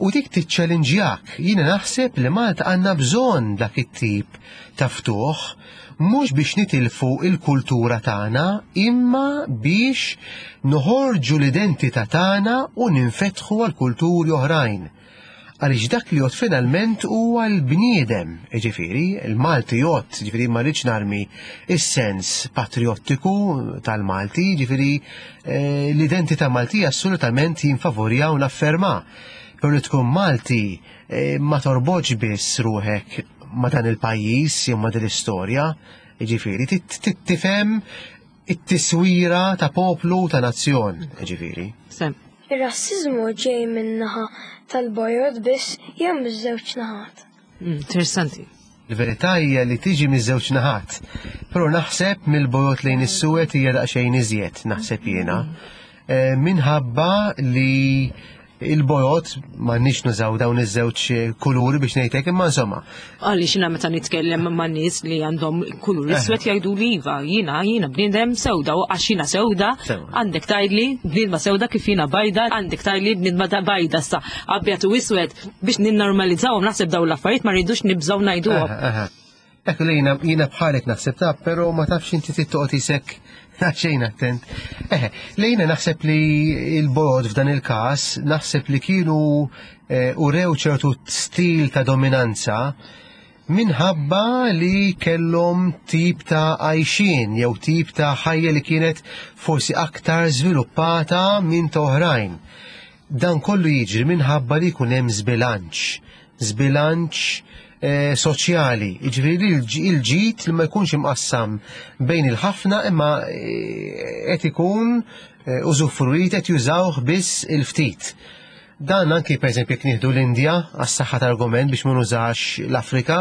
U dik tiċċellinġjak. Jiena naħseb li Malta għandna bżonn dak it-tip ta' ftuħ, mhux biex nitilfu il-kultura tagħna, imma biex noħorġu l-identità tagħna u ninfetħu għal kulturi oħrajn. Għaliex dak li jgħodd finalment huwa l-bniedem, ġifieri, il-Malti jgħodd, ġifieri ma rridx narmi is-sens patriottiku tal-Malti, ġifieri eh, l-identità Maltija assolutament jinfavorja u nafferma. Però li tkun Malti eh, ma torbotx biss ruħek ma dan il-pajjiż jew ma din l-istorja, ġifieri, tifhem it-tiswira ta' poplu ta' nazzjon, ġifieri. Sem. Ir-rassiżmu ġej min-naħa tal-bojod biss jew miż-żewġ naħat. Mm, Interessanti. Il-verità hija li tiġi miż-żewġ naħat, però naħseb mill-bojod lejn is-suwed hija daqsxejn iżjed, naħseb jiena. Eh, Minħabba li il-bojod m'għandniex nużaw dawn iż-żewġ kuluri biex ngħidlek, imma insomma. Għaliex jiena meta nitkellem ma' nies li għandhom kulur Eh. iswed jgħidu li iva, jiena jiena bniedem sewda u għax jiena sewda, Sewda. għandek tgħidli bniedma sewda kif jiena bajda, għandek tgħidli bniedma ta' bajda sa abjad u iswed biex ninnormalizzawhom naħseb dawn l-affarijiet ma rridux nibżgħu ngħiduhom. Aha, aha. Ekku li jiena jiena bħalek naħseb ta' però ma tafx inti tittoqgħod isek xejn attent. Eħe, li jiena naħseb li il-bojod f'dan il-każ naħseb li kienu eh, urew ċertu stil ta' dominanza minħabba li kellhom tip ta' għajxien jew tip ta' ħajja li kienet forsi aktar żviluppata minn ta' oħrajn. Dan kollu jiġri minħabba li jkun hemm żbilanċ, żbilanċ eh, soċjali, jiġifieri il- il-ġid li ma jkunx imqassam bejn il-ħafna imma eh, qed ikun eh, użufruit qed jużawh biss il-ftit. Dan anki per eżempju jekk nieħdu l-Indja għas-saħħa tal-argument biex ma nużax l-Afrika,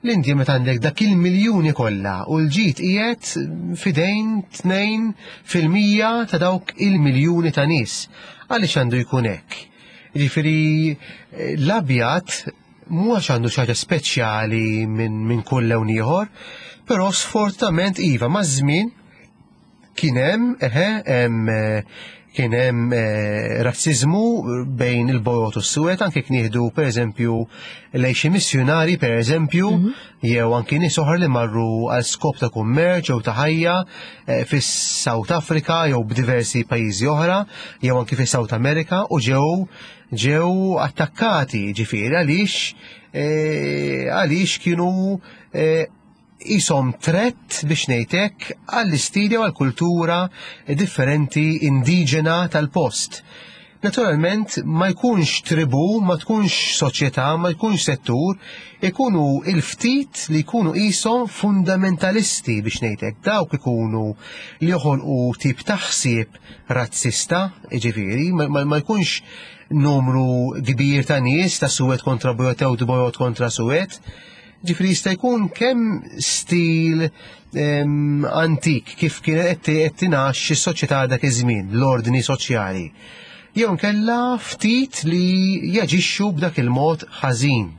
l-Indja meta għandek dak il-miljuni kollha u l-ġid qiegħed f'idejn tnejn fil-mija ta' dawk il-miljuni ta' nies. Għaliex għandu jkun hekk? Jiġifieri eh, l-abjad mhux għandu xi ħaġa speċjali minn min kull lewn ieħor, però sfortunatament iva maż-żmien kien hemm eħe hemm eh, kien hemm eh, razziżmu bejn il-bojod u s-suwed, anke jekk nieħdu pereżempju lejn xi missjunari pereżempju, jew anke nies oħra li marru għal skop ta' kummerċ jew ta' ħajja eh, fis-South Africa jew b'diversi pajjiżi oħra, jew anke fis-South America u ġew ġew attakkati ġifieri għaliex eh, għaliex kienu eh, jisom threat biex ngħidlek għall-istili u għall-kultura differenti indiġena tal-post. Naturalment ma jkunx tribu, ma tkunx soċjetà, ma jkunx settur, ikunu il-ftit li jkunu jisom fundamentalisti biex ngħidlek, dawk ikunu li joħolqu tip ta' ħsieb razzista, ġifieri, ma, ma, ma jkunx numru kbir ta' nies ta' suwed kontra bojod jew bojod kontra suwed. Ġifieri jista' jkun kemm stil em, antik kif kienet qed tingħax is-soċjetà dak iż-żmien, l-ordni soċjali. Jew nkella ftit li jaġixxu b'dak il-mod ħażin.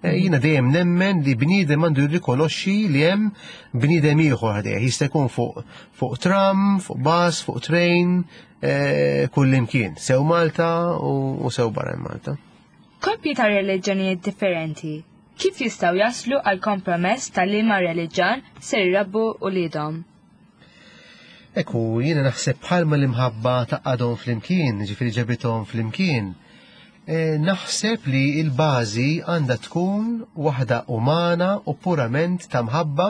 Eh, Jiena dejjem nemmen li bniedem għandu jirrikonoxxi li hemm bniedem ieħor ħdejh. Jista' jkun fuq fuq tram, fuq bus, fuq train, eh, kull imkien, sew Malta u, u sew barra minn Malta. Koppji ta' reliġjonijiet differenti, kif jistgħu jaslu għal kompromess ta' liema reliġjon ser jrabbu uliedhom? Ekku, jiena naħseb bħalma l-imħabba tgħaqqadhom flimkien, ġifieri ġabithom flimkien, eh, naħseb li il-bażi għandha tkun waħda umana u purament ta' mħabba,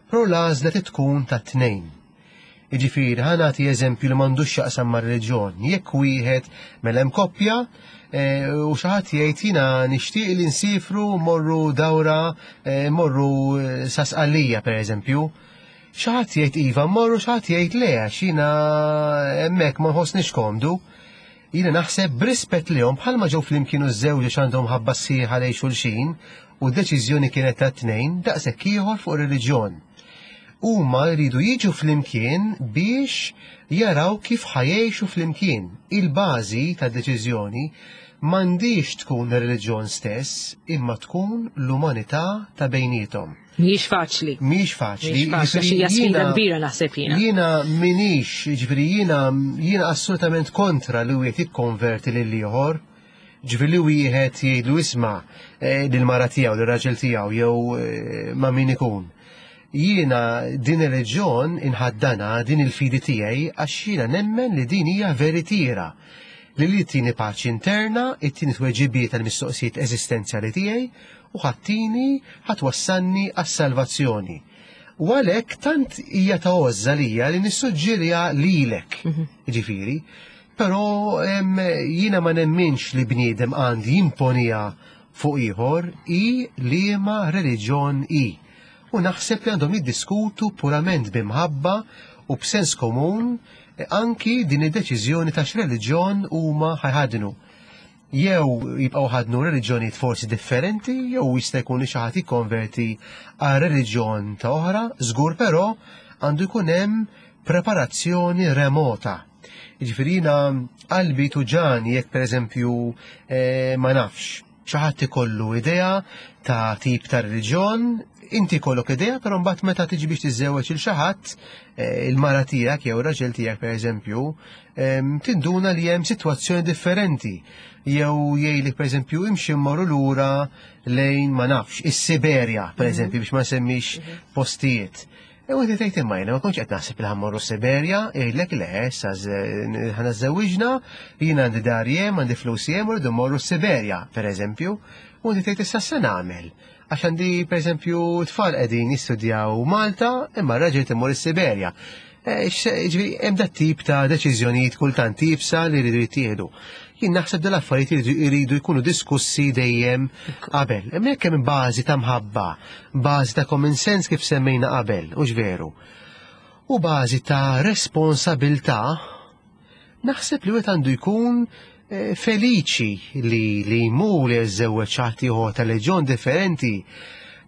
però l-għażla tkun ta' tnejn. Jiġifieri, ħa nagħti eżempju li m'għandux x'jaqsam mar-reliġjon. Jekk wieħed mela hemm koppja eh, u xi ħadd jgħid jiena nixtieq li nsifru morru dawra, eh, morru eh, sa Sqallija pereżempju. Xi ħadd jgħid iva mmorru, xi ħadd jgħid le għax jiena hemmhekk ma nħossniex komdu. Jiena naħseb b'rispett lihom bħalma ġew flimkien u żewġ għax għandhom ħabba sħiħa lejn xulxin u d-deċiżjoni kienet ta' tnejn daqshekk ieħor fuq reliġjon. Huma jridu jiġu flimkien biex jaraw kif ħa jgħixu flimkien. Il-bażi tad-deċiżjoni m'għandix tkun ir-reliġjon stess, imma tkun l-umanità ta' bejniethom. Mhijiex faċli. Mhijiex faċli. Mhijiex faċli, għax hija sfida Jiena- kbira naħseb jiena. Jiena minix, ġifieri jiena jiena assolutament kontra li wieħed jikkonverti lil ieħor. Ġifieri wieħed jgħidlu isma' eh, lill-mara tiegħu, lir-raġel tiegħu jew eh, ma' min ikun. Jiena din ir-reliġjon inħaddana din il-fidi tiegħi għax jiena nemmen li din hija veritiera li li tini paċi interna, it-tini tweġibiet tal-mistoqsijiet eżistenzjali tiegħi u ħa ttini ħa twassalni għas-salvazzjoni. U għalhekk tant hija ta' għożża lija li nissuġġeriha lilek, ġifieri, però em, jiena ma nemminx li bniedem għandu jimponiha fuq ieħor i liema reliġjon i. U naħseb li għandhom jiddiskutu purament b'imħabba u b'sens komun eh, anki din id-deċiżjoni ta' x'reliġjon huma ħa jħaddnu. Jew jibqgħu jħaddnu reliġjonijiet forsi differenti, jew jista' jkun li xi ħadd jikkonverti għal reliġjon ta' oħra, żgur però għandu jkun hemm preparazzjoni remota. Jiġifieri jiena qalbi tuġgħani jekk pereżempju eh, ma nafx, xi ħadd ikollu idea ta' tip ta' reliġjon, inti kollok idea, però mbagħad meta tiġi biex tiżżewweġ il xi ħadd, eh, il-mara tiegħek jew ir-raġel tiegħek pereżempju, em, tinduna li hemm sitwazzjoni differenti. Jew jgħidlek pereżempju imxi mmorru lura lejn ma nafx, is-Siberja pereżempju biex ma nsemmix postijiet. E u inti tgħid imma jiena ma kontx qed naħseb li ħa mmorru Siberja, jgħidlek le, issa ħa niżżewwiġna, jiena għandi dar hemm, għandi flus hemm, u rridu mmorru Siberja, pereżempju. U inti tgħid issa se nagħmel. Għax għandi pereżempju tfal qegħdin jistudjaw Malta, imma r-raġel imur is-Siberja. Eh, Ġifieri hemm dat tip ta' deċiżjonijiet kultant iebsa li jridu jittieħdu. Jien naħseb dal affarijiet iridu jridu jkunu diskussi dejjem qabel. Imma jekk hemm bażi ta' mħabba, bażi ta' common sense kif semmejna qabel, hux veru. U bażi ta' responsabilità, naħseb li wieħed għandu jkun eh, feliċi li li jmur li jiżżewweġ ħadd ieħor ta' reliġjon differenti.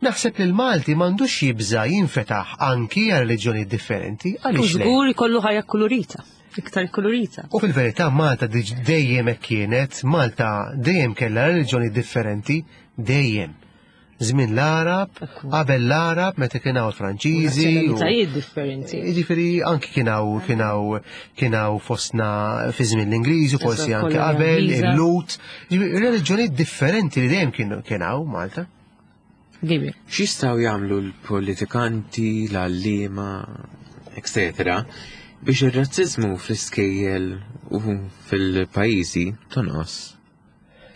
Naħseb li l-Malti m'għandux jibża jinfetaħ anki għal reliġjoni differenti. U Għaliex le? żgur ikollu ħajja kolorita, iktar kolorita. U fil-verità Malta diġ- dejjem hekk kienet, Malta dejjem kellha reliġjoni differenti, dejjem. Żmien l-Arab, Ekku. qabel l-Arab, meta kien hawn il-Franċiżi. u- Nazzjonalitajiet differenti. Jiġifieri anki kien hawn kien hawn kien hawn fostna fi żmien l-Ingliżi, forsi Eżatt, anke kolonja qabel Ingliża. il-Lut. Jiġifieri reliġjoni differenti li dejjem kienu kien hawn Malta. Gabriel. X'jistgħu jagħmlu l-politikanti, l-għalliema, etc. biex ir-razziżmu fl-iskejjel u fil-pajjiżi tonqos?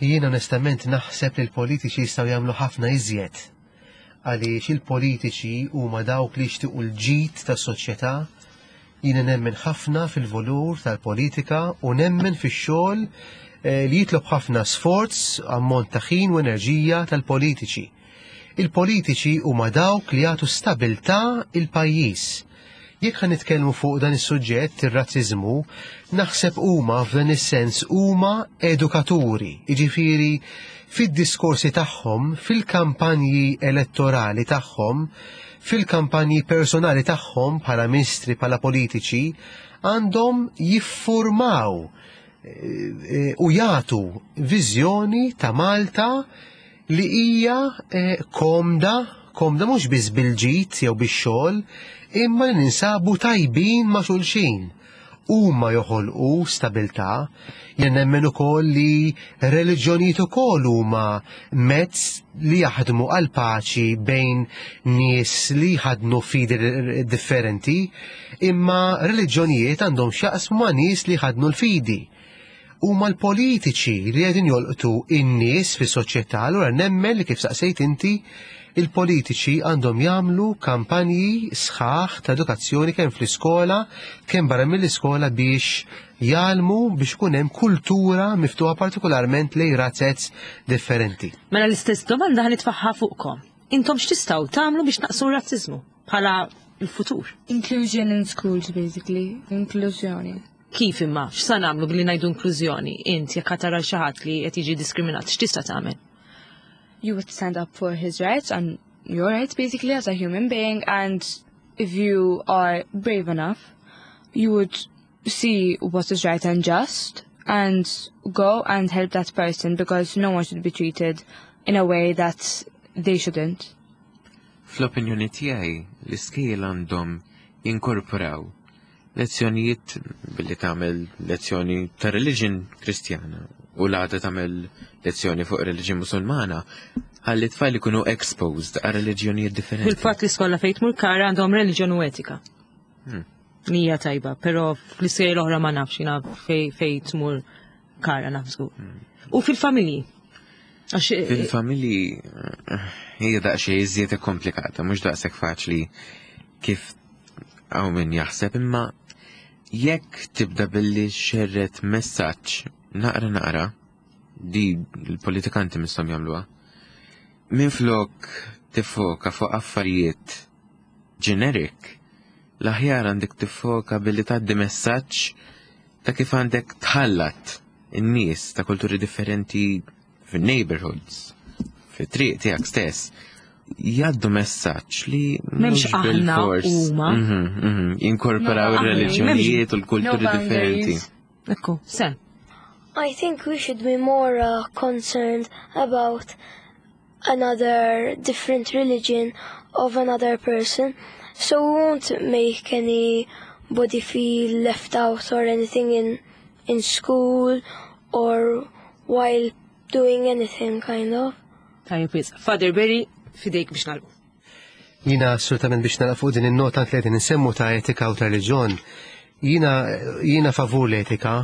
Jien onestament naħseb li l-politiċi jistgħu jagħmlu ħafna iżjed. Għaliex il-politiċi huma dawk li jixtiequ l-ġid tas-soċjetà. Jiena nemmen ħafna fil-valur tal-politika u nemmen fix-xogħol eh, li jitlob ħafna sforz, ammont ta' ħin u enerġija tal-politiċi. Il-politiċi huma dawk li jagħtu stabilità il-pajjiż. Jekk ħa nitkellmu fuq dan is-suġġett, ir-razziżmu, naħseb huma f'dan is-sens huma edukaturi, jiġifieri fid-diskorsi tagħhom, fil-kampanji elettorali tagħhom, fil-kampanji personali tagħhom bħala ministri, bħala politiċi, għandhom jiffurmaw eh, eh, u jagħtu viżjoni ta' Malta li hija eh, komda, komda mhux biss bil-ġid jew bix-xogħol, imma li ninsabu tajbin ma' xulxin. Huma joħolqu stabilità, jien nemmen ukoll li reliġjonijiet ukoll huma mezz li jaħdmu għal paċi bejn nies li jħaddnu fidi differenti, imma reliġjonijiet għandhom x'jaqsmu ma' nies li jħaddnu l-fidi. Huma l-politiċi li qegħdin jolqtu in-nies fis-soċjetà, allura nemmen li kif saqsejt inti, il-politiċi għandhom jagħmlu kampanji sħaħ ta' edukazzjoni kemm fl-iskola, kemm barra mill-iskola biex jgħallmu biex ikun hemm kultura miftuħa partikolarment lejn razzez differenti. Mela l-istess domanda ħa nitfagħha fuqkom. Intom x'tistgħu tagħmlu biex tnaqqsu r-razziżmu bħala l-futur? Inclusion in schools, basically. Inklużjoni. Kif imma? X'sa nagħmlu billi ngħidu inklużjoni? Int jekk tara xi ħadd li qed jiġi diskriminat, x'tista' tagħmel? You would stand up for his rights and your rights, basically, as a human being. And if you are brave enough, you would see what is right and just and go and help that person, because no one should be treated in a way that they shouldn't. Fl-opinjoni tiegħi, l-iskejjel għandhom jinkorporaw lezzjonijiet billi tagħmel lezzjoni ta' religion Kristjana u l-għada tagħmel lezzjoni fuq reliġjon Musulmana, ħalli tfal ikunu exposed għal reliġjonijiet differenti. Fil-fatt l-iskola fejn tmur Kara għandhom reliġjon u etika. Hmm. Mija tajba, pero fl-iskejjel oħra ma nafx, jiena fej fej tmur Kara naf żgur. U fil-familji. Għax Fil-familji eh, hija daqsxejn iżjed komplikata, mhux daqshekk faċli kif hawn min jaħseb, imma jekk tibda billi xerred messaġġ naqra naqra, di l-politikanti misshom jagħmluha. Minflok tiffoka fuq affarijiet generic, l-aħjar għandek tiffoka billi tgħaddi messaġġ ta' kif għandek tħallat in-nies ta' kulturi differenti fin-neighborhoods, fit-triq tiegħek stess. Jgħaddu messaġġ li M'hemmx mhux aħna bil-fors. huma. Mhm, mhm, Jinkorporaw No ir-reliġjonijiet u l-kulturi No differenti. boundaries. Ekku, Sam. I think we should be more uh, concerned about another different religion of another person. So we won't make anybody feel left out or anything in in school or while doing anything kind of. Tajjeb wisq. Father Barry, fidejk biex nagħlqu. Jiena assolutament biex nagħlaq fuq din in-nota li qegħdin insemmu ta' etika u ta' reliġjon. Jiena jiena favur l-etika,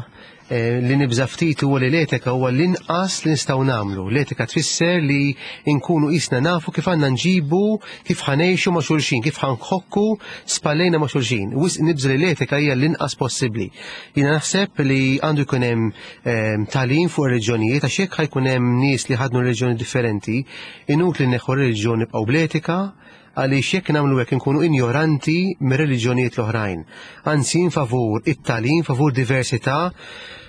eh, li nibża ftit huwa li l-etika huwa l-inqas li nistgħu nagħmlu. L-etika tfisser li nkunu qisna nafu kif għandna nġibu, kif ħa ngħixu ma' xulxin, kif ħa nħokku spallejna ma' xulxin. Wisq nibża li l-etika hija l-inqas possibbli. Jiena naħseb li għandu jkun hemm eh, tagħlim fuq reliġjonijiet għax jekk ħa jkun hemm nies li ħadnu reliġjoni differenti, inutli neħu reliġjoni nibqgħu bl-etika, għaliex jekk nagħmlu hekk inkunu injoranti mir-reliġjonijiet l-oħrajn. Anzi, favur it-tagħlim, favur diversità,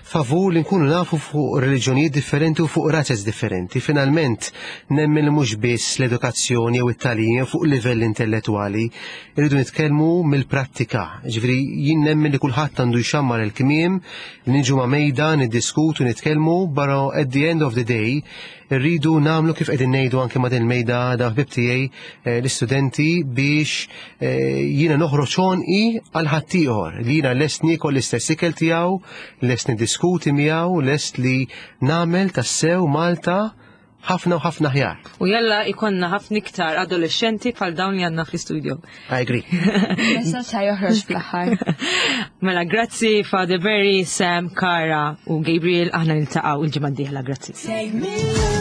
favur li nkunu nafu fuq reliġjonijiet differenti u fuq razez differenti. Finalment, nemmen li mhux biss l-edukazzjoni jew it-tagħlim jew fuq livell intellettwali, irridu nitkellmu mill-prattika. Ġifieri jien nemmen li kulħadd għandu jxammar il-kmiem, li niġu ma' mejda, niddiskutu, nitkellmu, però at the end of the day irridu nagħmlu kif qegħdin ngħidu anke ma' din il-mejda da ħbib tiegħi eh, l-istudenti biex eh, jiena noħroġ għonqi għal ħaddieħor li jiena lest niekol l-istess ikel tiegħu, lest niddiskuti miegħu, lest li nagħmel tassew Malta ħafna u ħafna aħjar. U jalla ikonna ħafna iktar adolescenti bħal dawn li għandna fl-istudio. I agree. Messaġġ ħa joħroġ fl-aħħar. Mela, grazzi Father Barry, Sam, Kara u Gabriel, aħna niltaqgħu il-ġimgħa d-dieħla, grazzi. Take me